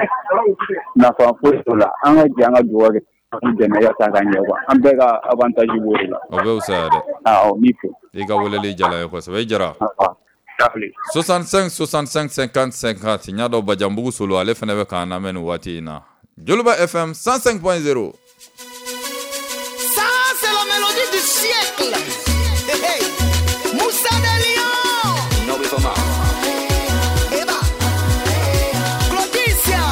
Speaker 11: Nafa foyi t'o la, an ka jɛ an ka dugawu kɛ. An dɛmɛ yaasa ka ɲɛ quoi, an bɛɛ ka avantage b'o de la.
Speaker 1: O bɛ fisaya dɛ.
Speaker 11: Awɔ, n b'i fo.
Speaker 1: I ka weleli diyara n ye kosɛbɛ, i Jara. soixante-cinq soixante-cinq cinquante cinquante. N y'a dɔn Bajanbugu Solo, ale fana bɛ k'an lamɛn nin waati in na. Joliba F M cent cinq point zéro.
Speaker 12: Ça c'est la mélodie du siècle. Hey, hey. Moussa de Lion. Eba. Claudicia.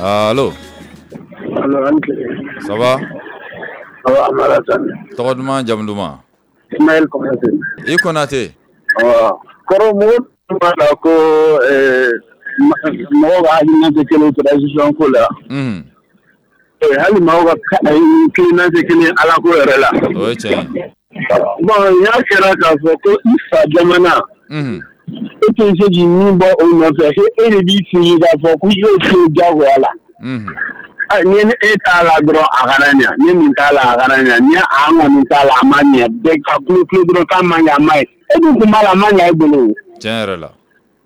Speaker 1: Allo.
Speaker 13: Allo, an tile.
Speaker 1: Ça va?
Speaker 13: Ça va, Amara Sane.
Speaker 1: Tɔgɔ duman, jamu duman?
Speaker 13: Ismaël Konate.
Speaker 1: I Konate.
Speaker 13: Awɔ. Kɔrɔ mɔgɔ tun b'a la ko ɛɛ mɔgɔw ka hakilina tɛ kelen transition ko la.
Speaker 1: Unhun.
Speaker 13: Hali maaw ka hakilina tɛ kelen Ala ko yɛrɛ la.
Speaker 1: O ye tiɲɛ ye.
Speaker 13: Bon, n'a kɛra k'a fɔ ko i fa jamana.
Speaker 1: Unhun.
Speaker 13: E tɛ se k'i min bɔ o nɔfɛ, e de b'i sigi k'a fɔ ko i y'o to diyagoya la.
Speaker 1: Unhun.
Speaker 13: Ni e t'a la dɔrɔn a kana ɲɛ, ni nin t'a la a kana ɲɛ, ni an kɔni t'a la a ma ɲɛ, bɛɛ ka kulo kulo dɔrɔn k'a ma ɲɛ a ma ɲɛ, e dun kun b'a la a ma ɲɛ e bolo.
Speaker 1: Tiɲɛ yɛrɛ la.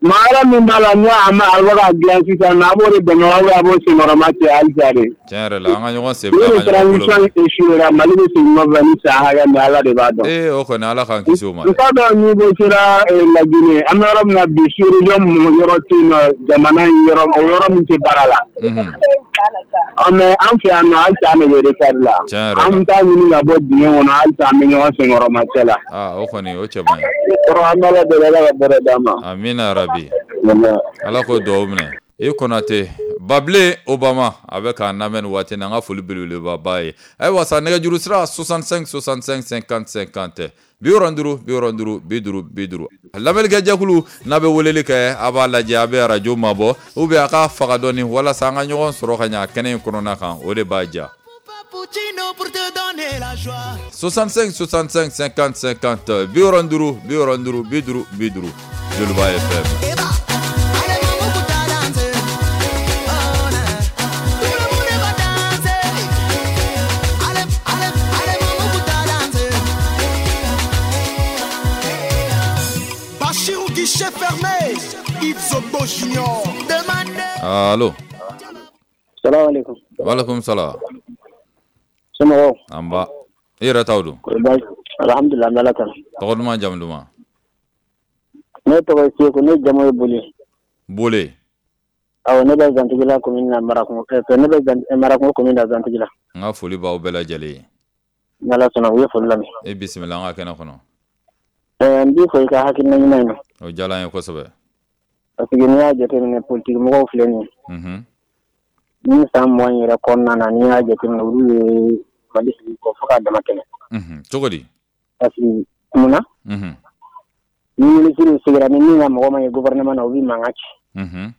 Speaker 13: Maa wɛrɛ min b'a la n'o a ma a bɛ ka dilan sisan nɔ, a b'o de dɛmɛ wa a b'o senkɔrɔma cɛ halisa de.
Speaker 1: Tiɲɛ yɛrɛ la, an ka ɲɔgɔn sen bila, an
Speaker 13: ka ɲɔgɔn bolo. Ni transition échouera, Mali bɛ segin kɔfɛ ni san hakɛ min Ala de b'a dɔn.
Speaker 1: Ee, o kɔni Ala k'an kisi o ma.
Speaker 13: N t'a dɔn n'i ko sera Laginɛ, an bɛ yɔrɔ min na bi sous-région yɔrɔ tɛ yen nɔ, jamana in yɔrɔ o yɔrɔ min tɛ baara la. Ɔ mais an fɛ yan nɔ halisa an de bɛ retard la.
Speaker 1: Tiɲɛ yɛrɛ la.
Speaker 13: An bɛ taa ɲini ka bɔ dingɛ kɔnɔ halisa an bɛ ɲɔgɔn senkɔrɔma cɛ la.
Speaker 1: Aa, o kɔni o cɛ man ɲi.
Speaker 13: Kɔrɔ an bɛ Ala deli Ala ka bɛrɛ d'an ma.
Speaker 1: Amina rabi. Ala k'o dugawu minɛ. I Konate, Babile Obama a bɛ k'an lamɛn nin waati in na, an ka foli belebeleba b'a ye. Ayiwa sa, nɛgɛjuru sira soixante-cinq soixante-cinq cinquante cinquante bi wɔɔrɔ ni duuru bi wɔɔrɔ ni duuru bi duuru bi duuru. Lamɛnnikɛ jɛkulu n'a bɛ weleli kɛ, a b'a lajɛ a bɛ arajo mabɔ ou bien a k'a faga dɔɔni walasa an ka ɲɔgɔn sɔrɔ ka ɲɛ kɛnɛ in kɔnɔna kan, o de b'a diya. soixante-cinq soixante-cinq cinquante cinquante bi wɔɔrɔ ni duuru bi wɔɔrɔ ni duuru bi duuru bi duuru. Joliba F M.
Speaker 12: Guichet fermé, Yves Zogbo Junior.
Speaker 1: Allo.
Speaker 9: Salam alaikum.
Speaker 1: Wa alaikum salam.
Speaker 9: Somɔgɔw?
Speaker 1: An ba. I yɛrɛ taw don?
Speaker 9: Alhamdulillah, an bɛ Ala tanu.
Speaker 1: Tɔgɔ duman, jamu duman?
Speaker 9: Ne tɔgɔ ye Seko, ne jamu ye Bole.
Speaker 1: Bole.
Speaker 9: Awɔ, ne bɛ Zantigila commune na Marakungo, ne bɛ Marakungo commune na Zantigila.
Speaker 1: N ka foli b'aw bɛɛ lajɛlen ye.
Speaker 9: Ni Ala sɔnna, u ye foli lamɛn.
Speaker 1: E bisimila an ka kɛnɛ kɔnɔ.
Speaker 9: N b'i fo i ka hakilina ɲuman in na.
Speaker 1: O diyara n ye kosɛbɛ.
Speaker 9: Parce que n'i y'a jateminɛ politique mɔgɔw filɛ nin ye.
Speaker 1: Unhun.
Speaker 9: Ni san mugan yɛrɛ kɔnɔna na, n'i y'a jateminɛ olu ye Mali sigi kɔ fo k'a dama tɛmɛ.
Speaker 1: Unhun, cogo di?
Speaker 9: Parce que mun na?
Speaker 1: Unhun.
Speaker 9: Ni ministre sigira ni min ka mɔgɔ ma ye gouvernement na, u b'i mankan ci.
Speaker 1: Mhm.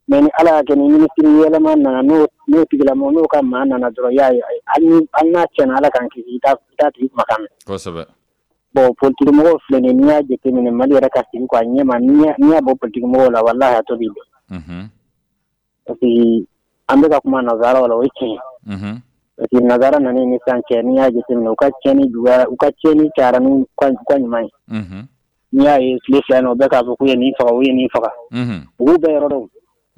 Speaker 14: Mais ni Ala y'a kɛ ni ministre yɛlɛma nana, n'o n'o tigilamɔgɔ n'o ka maa nana dɔrɔn, i y'a ye, hali ni hali n'a tiɲɛna, Ala k'an kisi, i t'a i t'a tigi kumakan mɛn.
Speaker 1: Kosɛbɛ.
Speaker 14: Bon, politique mɔgɔw filɛ nin ye, n'i y'a jateminɛ Mali yɛrɛ ka sigi quoi ɲɛma, n'i y'a n'i y'a bɔ politique mɔgɔw la, walahi a tɔ b'i dɔn.
Speaker 1: Mhm.
Speaker 14: Parce que an bɛ ka kuma nanzaraw la, o ye tiɲɛ ye.
Speaker 1: Mhm.
Speaker 14: Parce que nanzara nana ni sisan cɛ, n'i y'a jateminɛ, u ka tiɲɛni juguyara, u ka tiɲɛni cayara n'u ka u ka ɲuman ye.
Speaker 1: Mhm.
Speaker 14: N'i y'a ye tile fila in na, u bɛ k'a fɔ k'u ye nin faga, u ye nin faga.
Speaker 1: Mhm.
Speaker 14: U b'u bɛɛ yɔrɔ dɔn.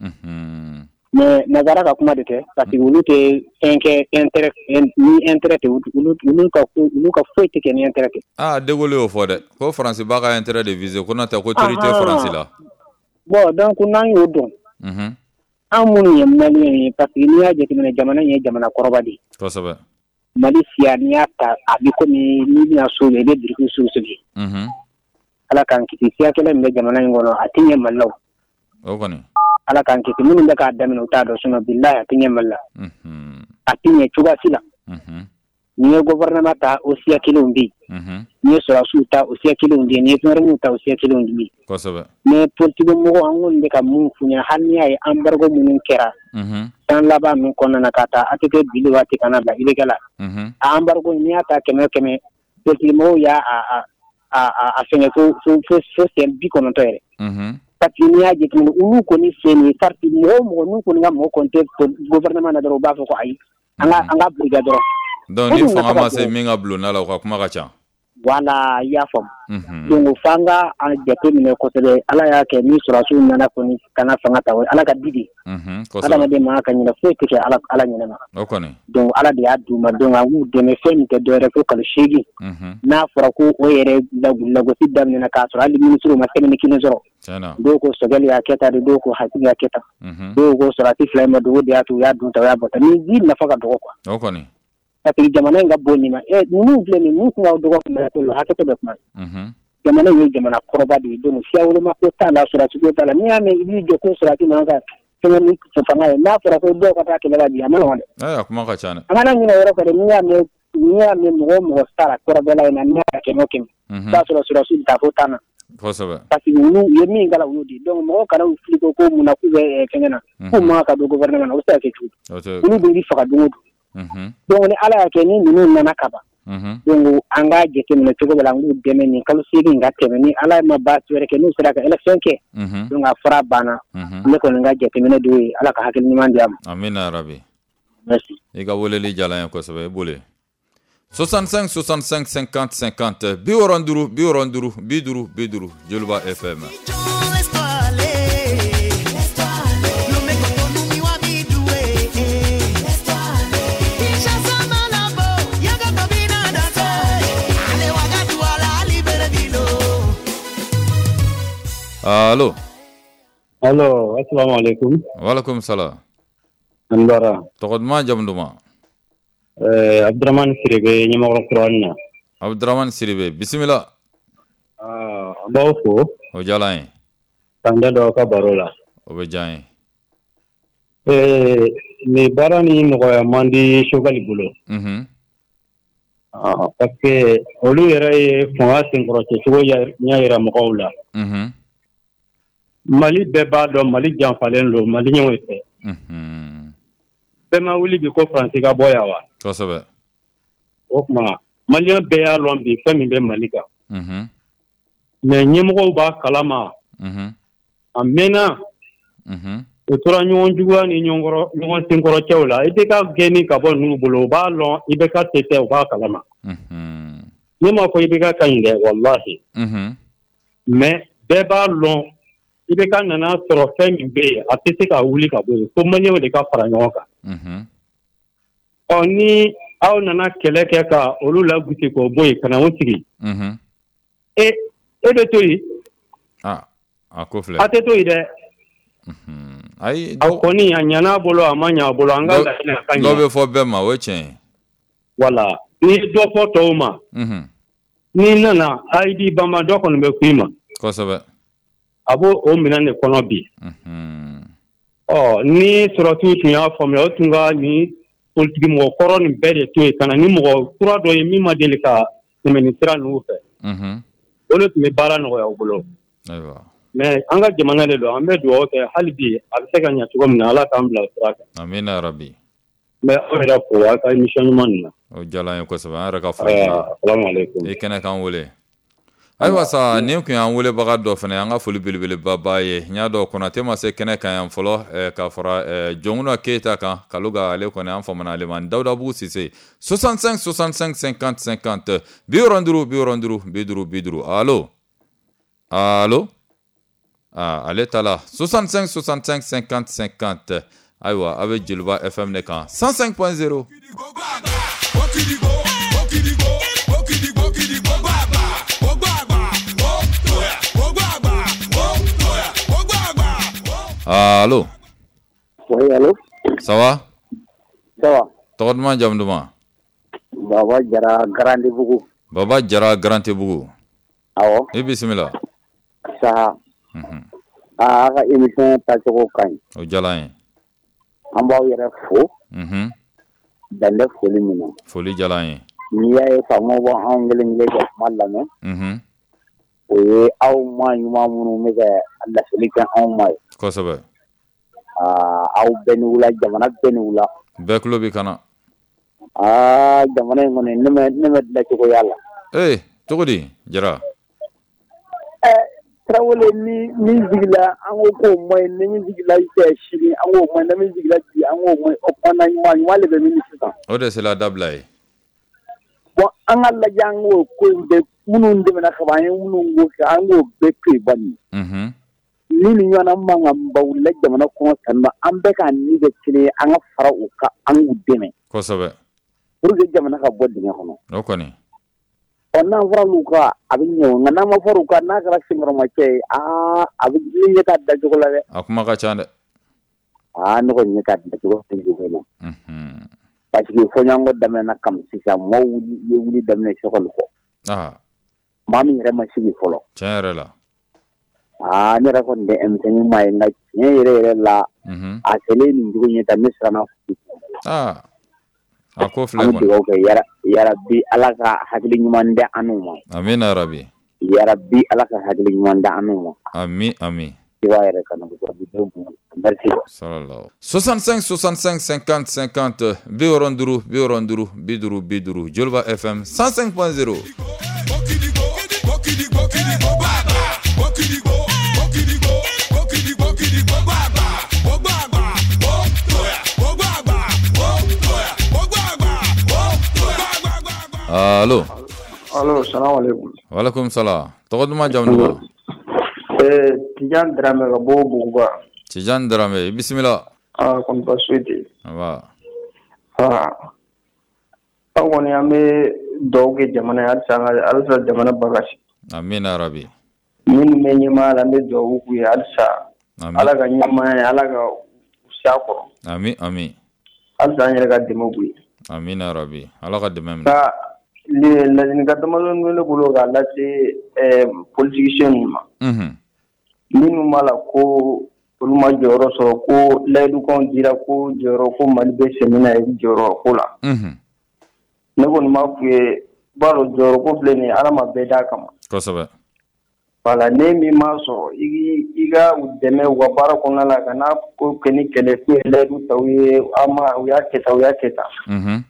Speaker 1: Mhm.
Speaker 14: Mais nanzara ka kuma de tɛ, parce que olu tɛ fɛn kɛ intérêt ni intérêt tɛ, olu olu ka ko olu ka foyi tɛ kɛ ni intérêt tɛ.
Speaker 1: Ah, De Gaulle y'o fɔ dɛ, ko Faransi b'a ka intérêt de viser, ko n'o tɛ ko teri tɛ Faransi la.
Speaker 14: Bon, donc n'an y'o dɔn,
Speaker 1: Mhm.
Speaker 14: an minnu ye maliyɛn ye, parce que n'i y'a jateminɛ, jamana in ye jamana kɔrɔba de ye.
Speaker 1: Kosɛbɛ.
Speaker 14: Mali siya, n'i y'a ta, a bɛ komi n'i bɛna so jɔ, i bɛ biriki sugu sigi.
Speaker 1: Mhm.
Speaker 14: Ala k'an kisi, siya kɛlɛ min bɛ jamana in kɔnɔ, a tɛ ɲɛ Mali la o.
Speaker 1: O kɔni.
Speaker 14: Ala k'an kisi, minnu bɛ k'a daminɛ, u t'a dɔn, sinon bilahi a tɛ ɲɛ Mali la.
Speaker 1: Mhm.
Speaker 14: A tɛ ɲɛ cogoya si la.
Speaker 1: Mhm.
Speaker 14: N'i ye gouvernement ta, o siya kelenw bɛ yen.
Speaker 1: Mhm.
Speaker 14: N'i ye sɔrɔdasiw ta, o siya kelenw bɛ yen. N'i ye gendarmew ta, o siya kelenw bɛ yen.
Speaker 1: Kosɛbɛ.
Speaker 14: Mais politique mɔgɔw, an kɔni bɛ ka mun f'u ɲɛna, hali n'i y'a ye embargo minnu kɛra
Speaker 1: Mhm.
Speaker 14: san laban ninnu kɔnɔna na, ka taa A T T bili waati kana bila I B K la.
Speaker 1: Mhm.
Speaker 14: A embargo, n'i y'a ta kɛmɛ o kɛmɛ, politique mɔgɔw y'a a a a a fɛngɛ fo fo fo fo siɲɛ bi kɔnɔntɔn yɛrɛ.
Speaker 1: Mhm.
Speaker 14: Parce que n'i y'a jateminɛ, olu kɔni filɛ nin ye, parti mɔgɔ o mɔgɔ n'u kɔni ka mɔgɔ kɔni tɛ gouvernement na dɔrɔn, u b'a fɔ ko ayi, an ka an ka bila dɔrɔn.
Speaker 1: Donc ni fanga ma se min ka bulonda la, u ka kuma ka ca.
Speaker 14: Voilà, i y'a faamu.
Speaker 1: Mhm.
Speaker 14: Donc f'an ka a jateminɛ kosɛbɛ. Ala y'a kɛ ni sɔrɔdasiw nana kɔni ka na fanga ta, o ye Ala ka di de ye.
Speaker 1: Mhm. Kosɛbɛ.
Speaker 14: Adamaden man kan ka ɲinɛ, foyi tɛ kɛ Ala Ala ɲinɛ ma.
Speaker 1: O kɔni.
Speaker 14: Donc Ala de y'a d'u ma, donc an k'u dɛmɛ fɛn min tɛ dɔwɛrɛ fo kalo seegin.
Speaker 1: Mhm.
Speaker 14: N'a fɔra ko o yɛrɛ lagosi daminɛna k'a sɔrɔ hali ministre ma semaine kelen sɔrɔ.
Speaker 1: Tiɲɛna.
Speaker 14: Dɔw ko Sogɛli y'a kɛ tan de, dɔw ko Hasimi y'a kɛ tan.
Speaker 1: Mhm.
Speaker 14: Dɔw ko sɔrɔdasi fila in ma dogo de y'a to u y'a dun tan, u y'a bɔ tan. Ni ji nafa ka dɔgɔ quoi.
Speaker 1: O kɔni.
Speaker 14: Parce que jamana in ka bon nin ma. Ɛ, ninnu filɛ nin ye, ninnu tun ka dɔgɔ hakɛ to bɛ kuma.
Speaker 1: Mhm.
Speaker 14: Jamana in ye jamana kɔrɔba de ye, donc siya woloma ko t'a la, sɔrɔdasi ko t'a la. N'i y'a mɛn i b'i jɔ ko sɔrɔdasi man kan fɛngɛ ni fanga ye, n'a fɔra ko dɔw ka taa kɛlɛ la bi, a ma nɔgɔn dɛ.
Speaker 1: Ɛ, a kuma ka ca dɛ.
Speaker 14: An kana ɲinɛ o yɔrɔ kɔ dɛ. N'i y'a mɛn n'i y'a mɛn mɔgɔ o mɔgɔ sara kɔrɔbɛla in na, n'i y'a kɛmɛ o kɛmɛ,
Speaker 1: Mhm.
Speaker 14: i b'a sɔrɔ sɔrɔdasi bɛ taa fo tan na.
Speaker 1: Kosɛbɛ.
Speaker 14: Parce que olu u ye min k'a la, u y'o di. Donc mɔgɔw kana u fili ko ko mun na k'u bɛ fɛngɛ na, k'u man kan ka don gouvernement na, o bɛ se ka kɛ cogo di?
Speaker 1: O tɛ.
Speaker 14: Olu dun b'i faga don o don.
Speaker 1: Mhm.
Speaker 14: Donc ni Ala y'a kɛ ni ninnu nana ka ban,
Speaker 1: Mhm.
Speaker 14: donc an k'a jateminɛ cogo bɛɛ la, an k'u dɛmɛ nin kalo seegin ka tɛmɛ, ni Ala ma baasi wɛrɛ kɛ, n'u sera ka élection kɛ,
Speaker 1: Mhm.
Speaker 14: donc a fura banna.
Speaker 1: Mhm.
Speaker 14: Ne kɔni ka jateminɛ de y'o ye. Ala ka hakili ɲuman di a ma.
Speaker 1: Amina yarabi.
Speaker 14: Merci.
Speaker 1: I ka weleli diyara n ye kosɛbɛ, i boli. soixante-cinq soixante-cinq cinquante cinquante, bi wɔɔrɔ duuru bi wɔɔrɔ duuru bi duuru bi duuru, Joliba F M.
Speaker 12: Laisse-toi aller. Lomé Cotonou, Miwa Bidoué. Laisse-toi aller. Kinshasa, Malabo, Yaga Tobina, Danse. Allez, Ouagadougou, Libreville.
Speaker 1: Allo.
Speaker 9: Allo, assalamu alaikum.
Speaker 1: Walaikum salam.
Speaker 9: An bara.
Speaker 1: Tɔgɔ duman, jamu duman?
Speaker 9: Euh, Abdurrahman Siribe, Ɲamakɔrɔ Kurani na.
Speaker 1: Abdurrahman Siribe, bisimila.
Speaker 9: Ah, an b'aw fo.
Speaker 1: O diyara an ye.
Speaker 9: K'an da don aw ka baro la.
Speaker 1: O bɛ diya an ye.
Speaker 9: Eh, nin baara ni nɔgɔya man di Choguel bolo.
Speaker 1: Mhm.
Speaker 9: Ah, parce que olu yɛrɛ ye fanga senkɔrɔcɛcogo ɲɛ yira mɔgɔw la.
Speaker 1: Mhm.
Speaker 9: Mali bɛɛ b'a dɔn Mali janfalen don maliyɛnw fɛ.
Speaker 1: Mhm.
Speaker 9: Bɛɛ ma wuli bi ko Faransi ka bɔ yan wa?
Speaker 1: Kosɛbɛ.
Speaker 9: O tuma maliyɛn bɛɛ y'a lɔn bi fɛn min bɛ Mali kan.
Speaker 1: Mhm.
Speaker 9: Mais ɲɛmɔgɔw b'a kalama.
Speaker 1: Mhm.
Speaker 9: A mɛnna.
Speaker 1: Mhm.
Speaker 9: U tora ɲɔgɔn juguya ni ɲɔgɔn ɲɔgɔn senkɔrɔcɛw la. I B K gɛnni ka bɔ ninnu bolo, u b'a lɔn I B K se tɛ, u b'a kalama.
Speaker 1: Mhm.
Speaker 9: Ne m'a fɔ I B K ka ɲi dɛ, walahi.
Speaker 1: Mhm.
Speaker 9: Mais bɛɛ b'a lɔn I B K nana sɔrɔ fɛn min bɛ yen, a tɛ se ka wuli ka bɔ yen, fo maliyɛnw de ka fara ɲɔgɔn kan.
Speaker 1: Mhm.
Speaker 9: Ɔ, ni aw nana kɛlɛ kɛ ka olu lagosi k'o bɔ yen ka na o sigi.
Speaker 1: Mhm.
Speaker 9: E e bɛ to yen.
Speaker 1: Ah, a ko filɛ.
Speaker 9: A tɛ to yen dɛ.
Speaker 1: Ayi,
Speaker 9: a kɔni a ɲana a bolo, a ma ɲa a bolo, an ka laɲini a ka
Speaker 1: dɔ
Speaker 9: ɲa.
Speaker 1: bɛ fɔ bɛɛ ma, o ye tiɲɛ ye.
Speaker 9: Voilà, n'i ye dɔ fɔ tɔw ma.
Speaker 1: Mhm.
Speaker 9: N'i nana a i b'i banba, dɔ kɔni bɛ ku i ma.
Speaker 1: Kosɛbɛ.
Speaker 9: A b'o o minɛn de kɔnɔ bi.
Speaker 1: Mhm.
Speaker 9: Ɔ, ni sɔrɔsiw tun y'a faamuya, o tun ka nin politiki mɔgɔ kɔrɔ nin bɛɛ de to yen ka na ni mɔgɔ kura dɔ ye min ma deli ka tɛmɛ nin sira ninnu fɛ.
Speaker 1: Mhm.
Speaker 9: O de tun bɛ baara nɔgɔya u bolo.
Speaker 1: Ayiwa.
Speaker 9: Mais an ka jamana de don, an bɛ dugawu kɛ hali bi a bɛ se ka ɲɛ cogo min na, Ala k'an bila o sira kan.
Speaker 1: Amina rabi.
Speaker 9: N bɛ aw yɛrɛ fo aw ka émission ɲuman nin na.
Speaker 1: O diyara an ye kosɛbɛ, an yɛrɛ ka foli b'i ye.
Speaker 9: Salamu aleykum.
Speaker 1: I kɛnɛ k'an wele. Ayiwa sa, nin tun y'an welebaga dɔ fana, an ka foli belebeleba b'a ye. N y'a dɔn Konate ma se kɛnɛ kan yan fɔlɔ, k'a fara Jɔnkuna Keyita kan, Kaluga ale kɔni an famana ale ma. Dawudabugu Sise soixante-cinq soixante-cinq cinquante cinquante bi wɔɔrɔ duuru bi wɔɔrɔ duuru bi duuru bi duuru. Allo allo, aa ale ta la soixante-cinq soixante-cinq cinquante cinquante. Ayiwa, a bɛ Joliba F M de kan cent cinq point zéro. Allô.
Speaker 15: Oui, allô.
Speaker 1: Ça va?
Speaker 15: Ça va.
Speaker 1: Tɔgɔ duman, jamu duman?
Speaker 15: Baba Jara Garantibugu.
Speaker 1: Baba Jara Garantibugu.
Speaker 15: Awɔ.
Speaker 1: I bisimila.
Speaker 15: Saha.
Speaker 1: Mhm.
Speaker 15: Aa, a ka émission taacogo ka ɲi.
Speaker 1: O diyara an ye.
Speaker 15: An b'aw yɛrɛ fo.
Speaker 1: Mhm.
Speaker 15: Dan tɛ foli min na.
Speaker 1: Foli diyara an ye.
Speaker 15: N'i y'a ye faamaw b'anw kelen kelen ka kuma lamɛn.
Speaker 1: Mhm.
Speaker 15: O ye aw maa ɲuman minnu bɛ ka laseli kɛ anw ma ye.
Speaker 1: Kosɛbɛ.
Speaker 15: Aa, aw bɛɛ ni wula, jamana bɛɛ ni wula.
Speaker 1: Bɛɛ tulo b'i kana.
Speaker 15: Aa, jamana in kɔni ne ma ne ma dilancogo y'a la.
Speaker 1: Ee, cogo di Jara?
Speaker 15: Ɛ Tarawele, ni min sigila an ko k'o ma ɲi, ni min sigila sini an k'o ma ɲi, ni min sigila bi an k'o ma ɲi, o kumana ɲuman ɲuman de bɛ min sisan.
Speaker 1: O de sera dabila ye.
Speaker 15: Bon, an ka lajɛ an k'o ko in bɛɛ minnu dɛmɛna ka ban, an ye minnu ko kɛ, an k'o bɛɛ to yen bani.
Speaker 1: Mhm.
Speaker 15: Ni nin ɲɔgɔnna mankanba wulila jamana kɔnɔ tan nɔ, an bɛɛ k'an ni kɛ kelen ye, an ka fara u kan, an k'u dɛmɛ.
Speaker 1: Kosɛbɛ.
Speaker 15: Pour que jamana ka bɔ dingɛ kɔnɔ.
Speaker 1: O kɔni.
Speaker 15: Ɔ, n'an fɔra olu kan a bɛ ɲɛ o, nka n'an ma fɔra u kan, n'a kɛra senkɔrɔmacɛ ye, aa a bɛ ni ɲɛ t'a dacogo la dɛ.
Speaker 1: A kuma ka ca dɛ.
Speaker 15: Aa, ne kɔni ɲɛ t'a dacogo la na.
Speaker 1: Mhm.
Speaker 15: Parce que fɔɲɔgɔnkɔ daminɛna kami sisan, maaw ye wuli daminɛ sɔgɔli kɔ.
Speaker 1: Aa.
Speaker 15: Maa min yɛrɛ ma sigi fɔlɔ.
Speaker 1: Tiɲɛ yɛrɛ la.
Speaker 15: Aa, ne yɛrɛ kɔni tɛ M cinq maa ye, nka tiɲɛ yɛrɛ yɛrɛ la,
Speaker 1: Mhm.
Speaker 15: a kɛlen nin cogo in ye tan, ne siranna.
Speaker 1: Aa. A ko filɛ
Speaker 15: An bɛ
Speaker 1: kɔni.
Speaker 15: dugawu kɛ yarabi Ala ka hakili ɲuman di an n'u ma.
Speaker 1: Amina rabi.
Speaker 15: Yarabi Ala ka hakili ɲuman di an n'u ma.
Speaker 1: Ami ami.
Speaker 15: I b'a yɛrɛ kanu merci.
Speaker 1: Sallallahu. soixante-cinq soixante-cinq cinquante cinquante bi wɔɔrɔ duuru bi wɔɔrɔ duuru bi duuru bi duuru Joliba F M cent cinq point zéro. Allo.
Speaker 16: Allo, salam alaikum.
Speaker 1: Walaikum salam. Tɔgɔ duman, jamu duman?
Speaker 16: Eh, Tijan Dramé ka bɔ Buguba.
Speaker 1: Tijan Dramé, i bisimila.
Speaker 16: Ah, kɔni baasi foyi tɛ yen.
Speaker 1: Nba.
Speaker 16: Ah. Aw kɔni an bɛ dugawu kɛ jamana ye halisa an ka halisa jamana bakasi.
Speaker 1: Amina rabi.
Speaker 16: Minnu bɛ ɲɛmaaya la, an bɛ dugawu k'u ye halisa.
Speaker 1: Amin.
Speaker 16: Ala ka ɲɛmaaya ye, Ala ka u se a kɔrɔ.
Speaker 1: Ami ami.
Speaker 16: Halisa an yɛrɛ ka dɛmɛ k'u ye.
Speaker 1: Amina rabi. Ala ka dɛmɛ minɛ.
Speaker 16: Nka ladilikan damadɔni bɛ ne bolo k'a lase ɛɛ politicien ninnu ma.
Speaker 1: Mhm.
Speaker 16: Minnu b'a la ko olu ma jɔyɔrɔ sɔrɔ, ko layidukanw dira ko jɔyɔrɔ ko Mali bɛ sɛmɛ na jɔyɔrɔ ko la.
Speaker 1: Mhm.
Speaker 16: Ne kɔni b'a f'u ye, i b'a dɔn jɔyɔrɔ ko filɛ nin ye, Ala ma bɛɛ d'a kama.
Speaker 1: Kosɛbɛ.
Speaker 16: Voilà, ne min m'a sɔrɔ, i i ka u dɛmɛ u ka baara kɔnɔna la, ka n'a ko kɛ ni kɛlɛ k'u ye layidu ta u ye, an ma u y'a kɛ tan, u y'a kɛ tan.
Speaker 1: Mhm.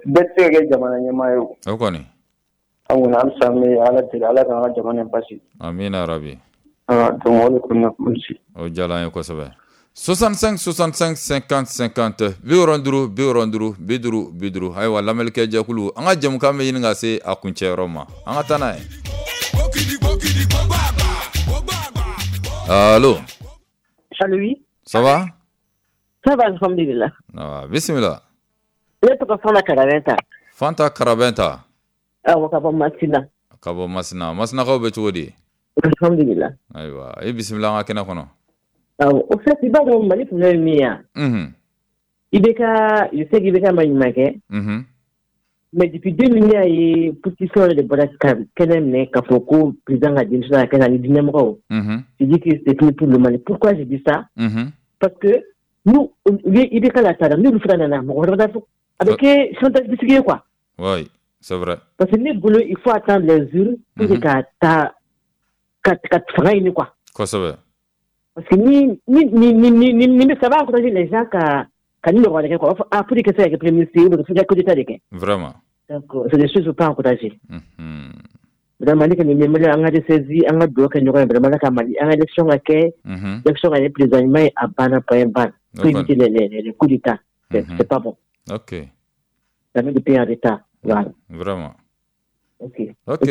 Speaker 16: Bɛɛ tɛ se ka kɛ jamana ɲɛmaa ye o.
Speaker 1: O kɔni.
Speaker 16: An kɔni halisa an bɛ Ala deli, Ala k'an ka jamana in basigi.
Speaker 1: Amina rabi.
Speaker 16: Ah, donc o de kɔni na merci.
Speaker 1: O diyara an ye kosɛbɛ. soixante-cinq soixante-cinq cinquante cinquante bi wɔɔrɔ duuru bi wɔɔrɔ duuru bi duuru bi duuru. Ayiwa, lamɛnnikɛ jɛkulu, an ka jɛmukan bɛ ɲini ka se a kuncɛyɔrɔ ma, an ka taa n'a ye. Allo.
Speaker 17: Allo, oui.
Speaker 1: Ça va?
Speaker 17: Ça va, alhamdulillah.
Speaker 1: Ah, bisimila.
Speaker 17: Ne tɔgɔ Fanta Karabɛnta.
Speaker 1: Fanta Karabɛnta.
Speaker 17: Awɔ, ka bɔ Masina.
Speaker 1: Ka bɔ Masina. Masinakaw bɛ cogo di?
Speaker 17: Alhamdulillah.
Speaker 1: Ayiwa, i bisimila an ka kɛnɛ kɔnɔ.
Speaker 17: Awɔ, au fait, i b'a dɔn Mali problème ye min ye wa?
Speaker 1: Mhm.
Speaker 17: I B K, je sais qu'I B K ma ɲuman kɛ.
Speaker 1: Mhm.
Speaker 17: Mais depuis deux mille, ne y'a ye politicien de bɔra ka kɛnɛ minɛ k'a fɔ ko président ka démission ka kɛ ani diinɛmɔgɔw.
Speaker 1: Mhm.
Speaker 17: Je dis que c'est fini pour le Mali. Pourquoi je dis ça?
Speaker 1: Mhm.
Speaker 17: Parce que nous, u ye I B K la taara, n'olu fana nana, mɔgɔ wɛrɛ bɛ taa fɔ. A bɛ kɛ chantage bisigi ye quoi.
Speaker 1: Oui, c'est vrai.
Speaker 17: Parce que ne bolo, il faut attendre les urnes pour que ka taa ka ka fanga ɲini quoi.
Speaker 1: Kosɛbɛ.
Speaker 17: Parce que ni ni ni ni ni ni ça va encourager les gens ka ka ni ɲɔgɔn kɛ quoi. Ah, pour que ça kɛ premier ministre ou bien coup d'état de kɛ.
Speaker 1: Vraiment.
Speaker 17: Donc c'est des choses pas encourager.
Speaker 1: Mhm.
Speaker 17: Vraiment ne kɔni bɛ Mali an ka ressaisi an ka dugawu kɛ ɲɔgɔn ye vraiment Ala ka Mali an ka élection ka kɛ.
Speaker 1: Mhm.
Speaker 17: Élection ka kɛ président ɲuman ye a banna point barre. Pour éviter les les les coups d'état. C'est c'est pas bon.
Speaker 1: OK.
Speaker 17: Ça met le pays en retard. Voilà.
Speaker 1: Vraiment.
Speaker 17: OK.
Speaker 1: OK.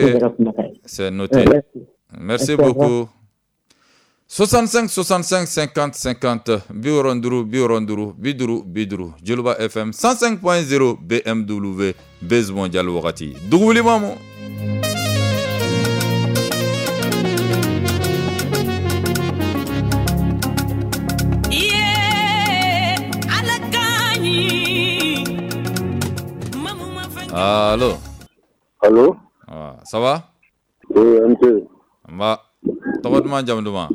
Speaker 1: C'est noté.
Speaker 17: Merci.
Speaker 1: Merci beaucoup. soixante-cinq soixante-cinq cinquante cinquante bi wɔɔrɔ duuru bi wɔɔrɔ duuru bi duuru bi duuru Joliba F M cent cinq point zéro B M W Buzz Mondial wagati dugu wuli mamu. Allô.
Speaker 18: Allô.
Speaker 1: Ah, ça va?
Speaker 18: Oui, un peu.
Speaker 1: Nba tɔgɔ duman jamu duman?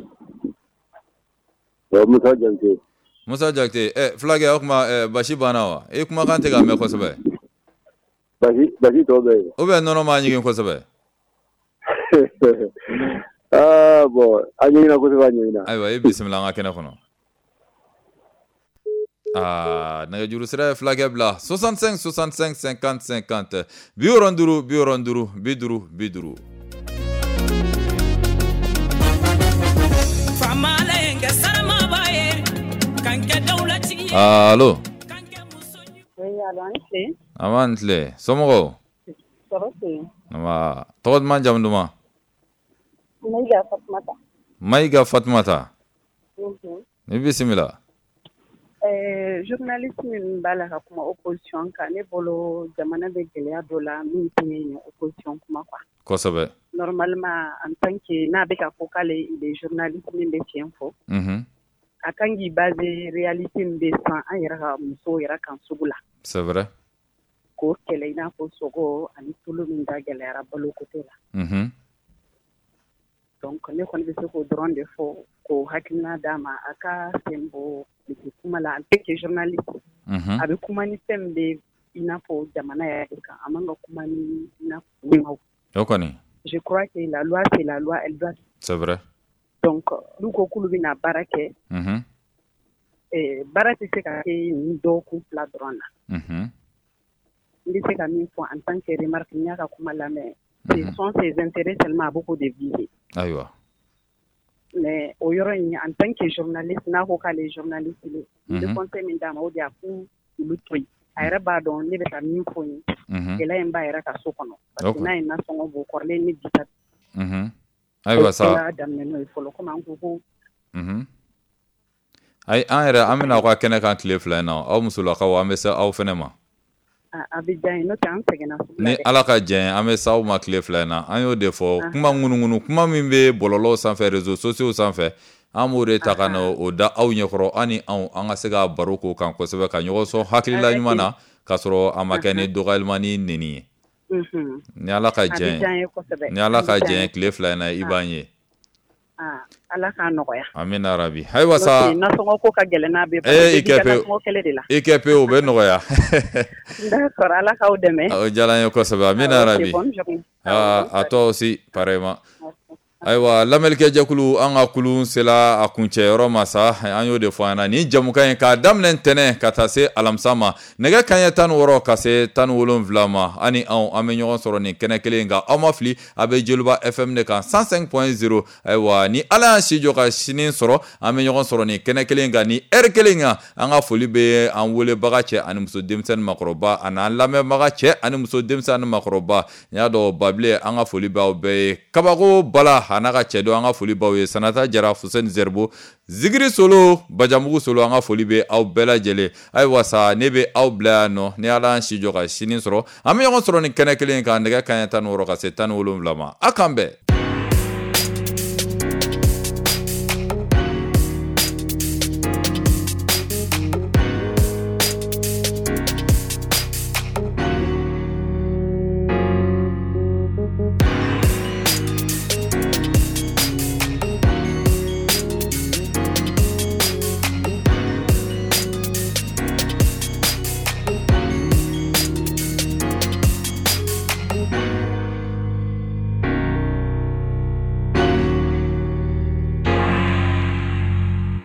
Speaker 18: Musa Jakite.
Speaker 1: Musa Jakite, eh fulakɛ o tuma eh, basi banna wa? E kumakan tɛ ka mɛn kosɛbɛ.
Speaker 18: Basi basi tɔ bɛ yen.
Speaker 1: Ou bien nɔnɔ m'a ɲigin kosɛbɛ?
Speaker 18: Ah bon, a ɲiginna kosɛbɛ, a ɲiginna.
Speaker 1: Ayiwa, i bisimila an ka kɛnɛ kɔnɔ. Ah, nɛgɛjuru sira ye fulakɛ bila soixante-cinq soixante-cinq cinquante cinquante bi wɔɔrɔ duuru bi wɔɔrɔ duuru bi duuru bi duuru. Allo.
Speaker 19: Oui, allo, an tile.
Speaker 1: An b'an tile. Somɔgɔw?
Speaker 19: Tɔɔrɔ tɛ yen.
Speaker 1: Nba, tɔgɔ duman jamu duman?
Speaker 19: Mayiga Fatumata.
Speaker 1: Mayiga Fatumata.
Speaker 19: Unhun.
Speaker 1: I bisimila.
Speaker 19: Ɛɛ journaliste min b'a la ka kuma opposition kan, ne bolo jamana bɛ gɛlɛya dɔ la min tɛ nin opposition kuma quoi.
Speaker 1: Kosɛbɛ.
Speaker 19: Normalement en tant que n'a bɛ ka fɔ k'ale il est journaliste min bɛ tiɲɛ fɔ.
Speaker 1: Unhun.
Speaker 19: A kan k'i basé réalité min bɛ sisan an yɛrɛ ka musow yɛrɛ kan sugu la.
Speaker 1: C'est vrai.
Speaker 19: K'o kɛlɛ i n'a fɔ sogo ani tulu min da gɛlɛyara balo côté la.
Speaker 1: Unhun.
Speaker 19: Donc ne kɔni bɛ se k'o dɔrɔn de fɔ k'o hakilina d'a ma a ka sen bɔ kuma la en tant que journaliste.
Speaker 1: Unhun.
Speaker 19: A bɛ kuma ni fɛn min bɛ i n'a fɔ jamana yɛrɛ kan, a man ka kuma ni i n'a fɔ.
Speaker 1: O kɔni.
Speaker 19: Je crois que la loi c'est la loi, elle doit.
Speaker 1: C'est vrai.
Speaker 19: Donc n'u ko k'olu bɛna baara kɛ.
Speaker 1: Unhun.
Speaker 19: Eh, baara tɛ se ka kɛ nin dɔgɔkun fila dɔrɔn na.
Speaker 1: Unhun.
Speaker 19: N bɛ se ka min fɔ en tant que remarque n y'a ka kuma lamɛn. Ce sont ses intérêts seulement a bɛ k'o de viser.
Speaker 1: Ayiwa.
Speaker 19: Mais o yɔrɔ in en tant que journaliste n'a ko k'ale ye journaliste ye. N bɛ conseil min d'a ma o de ye a k'u olu to yen. A yɛrɛ b'a dɔn ne bɛ ka min fɔ n ye. Gɛlɛya in b'a yɛrɛ ka so kɔnɔ. Parce que n'a ye nasɔngɔ bɔ kɔrɔlen ni bi ta.
Speaker 1: Unhun. Ayiwa sa.
Speaker 19: O daminɛ n'o ye fɔlɔ komi an ko ko.
Speaker 1: Unhun. Ayi an yɛrɛ an bɛna aw ka kɛnɛ kan tile fila in na aw musolakaw an bɛ se aw fɛnɛ ma.
Speaker 19: A bɛ diya n ye n'o tɛ an sɛgɛnna sugu la
Speaker 1: Ni
Speaker 19: dɛ.
Speaker 1: Ala ka jɛn an bɛ se aw ma tile fila in na an y'o de fɔ kuma ŋunuŋunu kuma min bɛ bɔlɔlɔw sanfɛ réseaux sociaux sanfɛ an b'o de ta ka na o da aw ɲɛkɔrɔ an ni anw an ka se ka baro k'o kan kosɛbɛ ka ɲɔgɔn sɔn hakilila ɲuman na k'a sɔrɔ a ma kɛ ni dɔgɔyalima ni nɛni ye. Ni Ala ka jɛn ni Ala ka jɛn tile fila in na i b'an ye.
Speaker 19: Ala k'a nɔgɔya.
Speaker 1: Amina rabi. Ayiwa sa.
Speaker 19: Nasɔngɔ ko ka gɛlɛn n'a bɛɛ.
Speaker 1: Ee i kɛ pewu. I kɛ pewu o bɛ nɔgɔya.
Speaker 19: D'accord, Ala k'aw dɛmɛ.
Speaker 1: O diyara n ye kosɛbɛ. Amina rabi. Ah, à toi aussi pareillement. Ayiwa lamɛnnikɛjɛkulu an ka kulun sela a kuncɛyɔrɔ ma sa an y'o de fɔ an ɲɛna nin jamukan in k'a daminɛ ntɛnɛn ka taa se alamisa ma nɛgɛ kanɲɛ tan ni wɔɔrɔ ka se tan ni wolonwula ma an ni anw an bɛ ɲɔgɔn sɔrɔ nin kɛnɛ kelen kan aw ma fili a bɛ Joliba F M de kan cent cinq point zéro ayiwa ni Ala y'an si jɔ ka sini sɔrɔ an bɛ ɲɔgɔn sɔrɔ nin kɛnɛ kelen kan ni heure kelen kan an ka foli bɛ an welebaga cɛ ani muso denmisɛnnin makɔrɔba ani an lamɛnbaga cɛ ani muso denmisɛnnin makɔrɔba n y'a dɔn Babilen an ka foli b'aw bɛɛ ye kabako bala a n'a ka cɛ don an ka foli b'aw ye Sanata Jara Fuseni Zeribo Zigiri Solo Bajamugu Solo an ka foli bɛ aw bɛɛ lajɛlen ayiwa sa ne bɛ aw bila yan nɔ ni Ala y'an si jɔ ka sini sɔrɔ an bɛ ɲɔgɔn sɔrɔ nin kɛnɛ kelen kan nɛgɛ kanɲɛ tan ni wɔɔrɔ ka se tan ni wolonwula ma a k'an bɛn.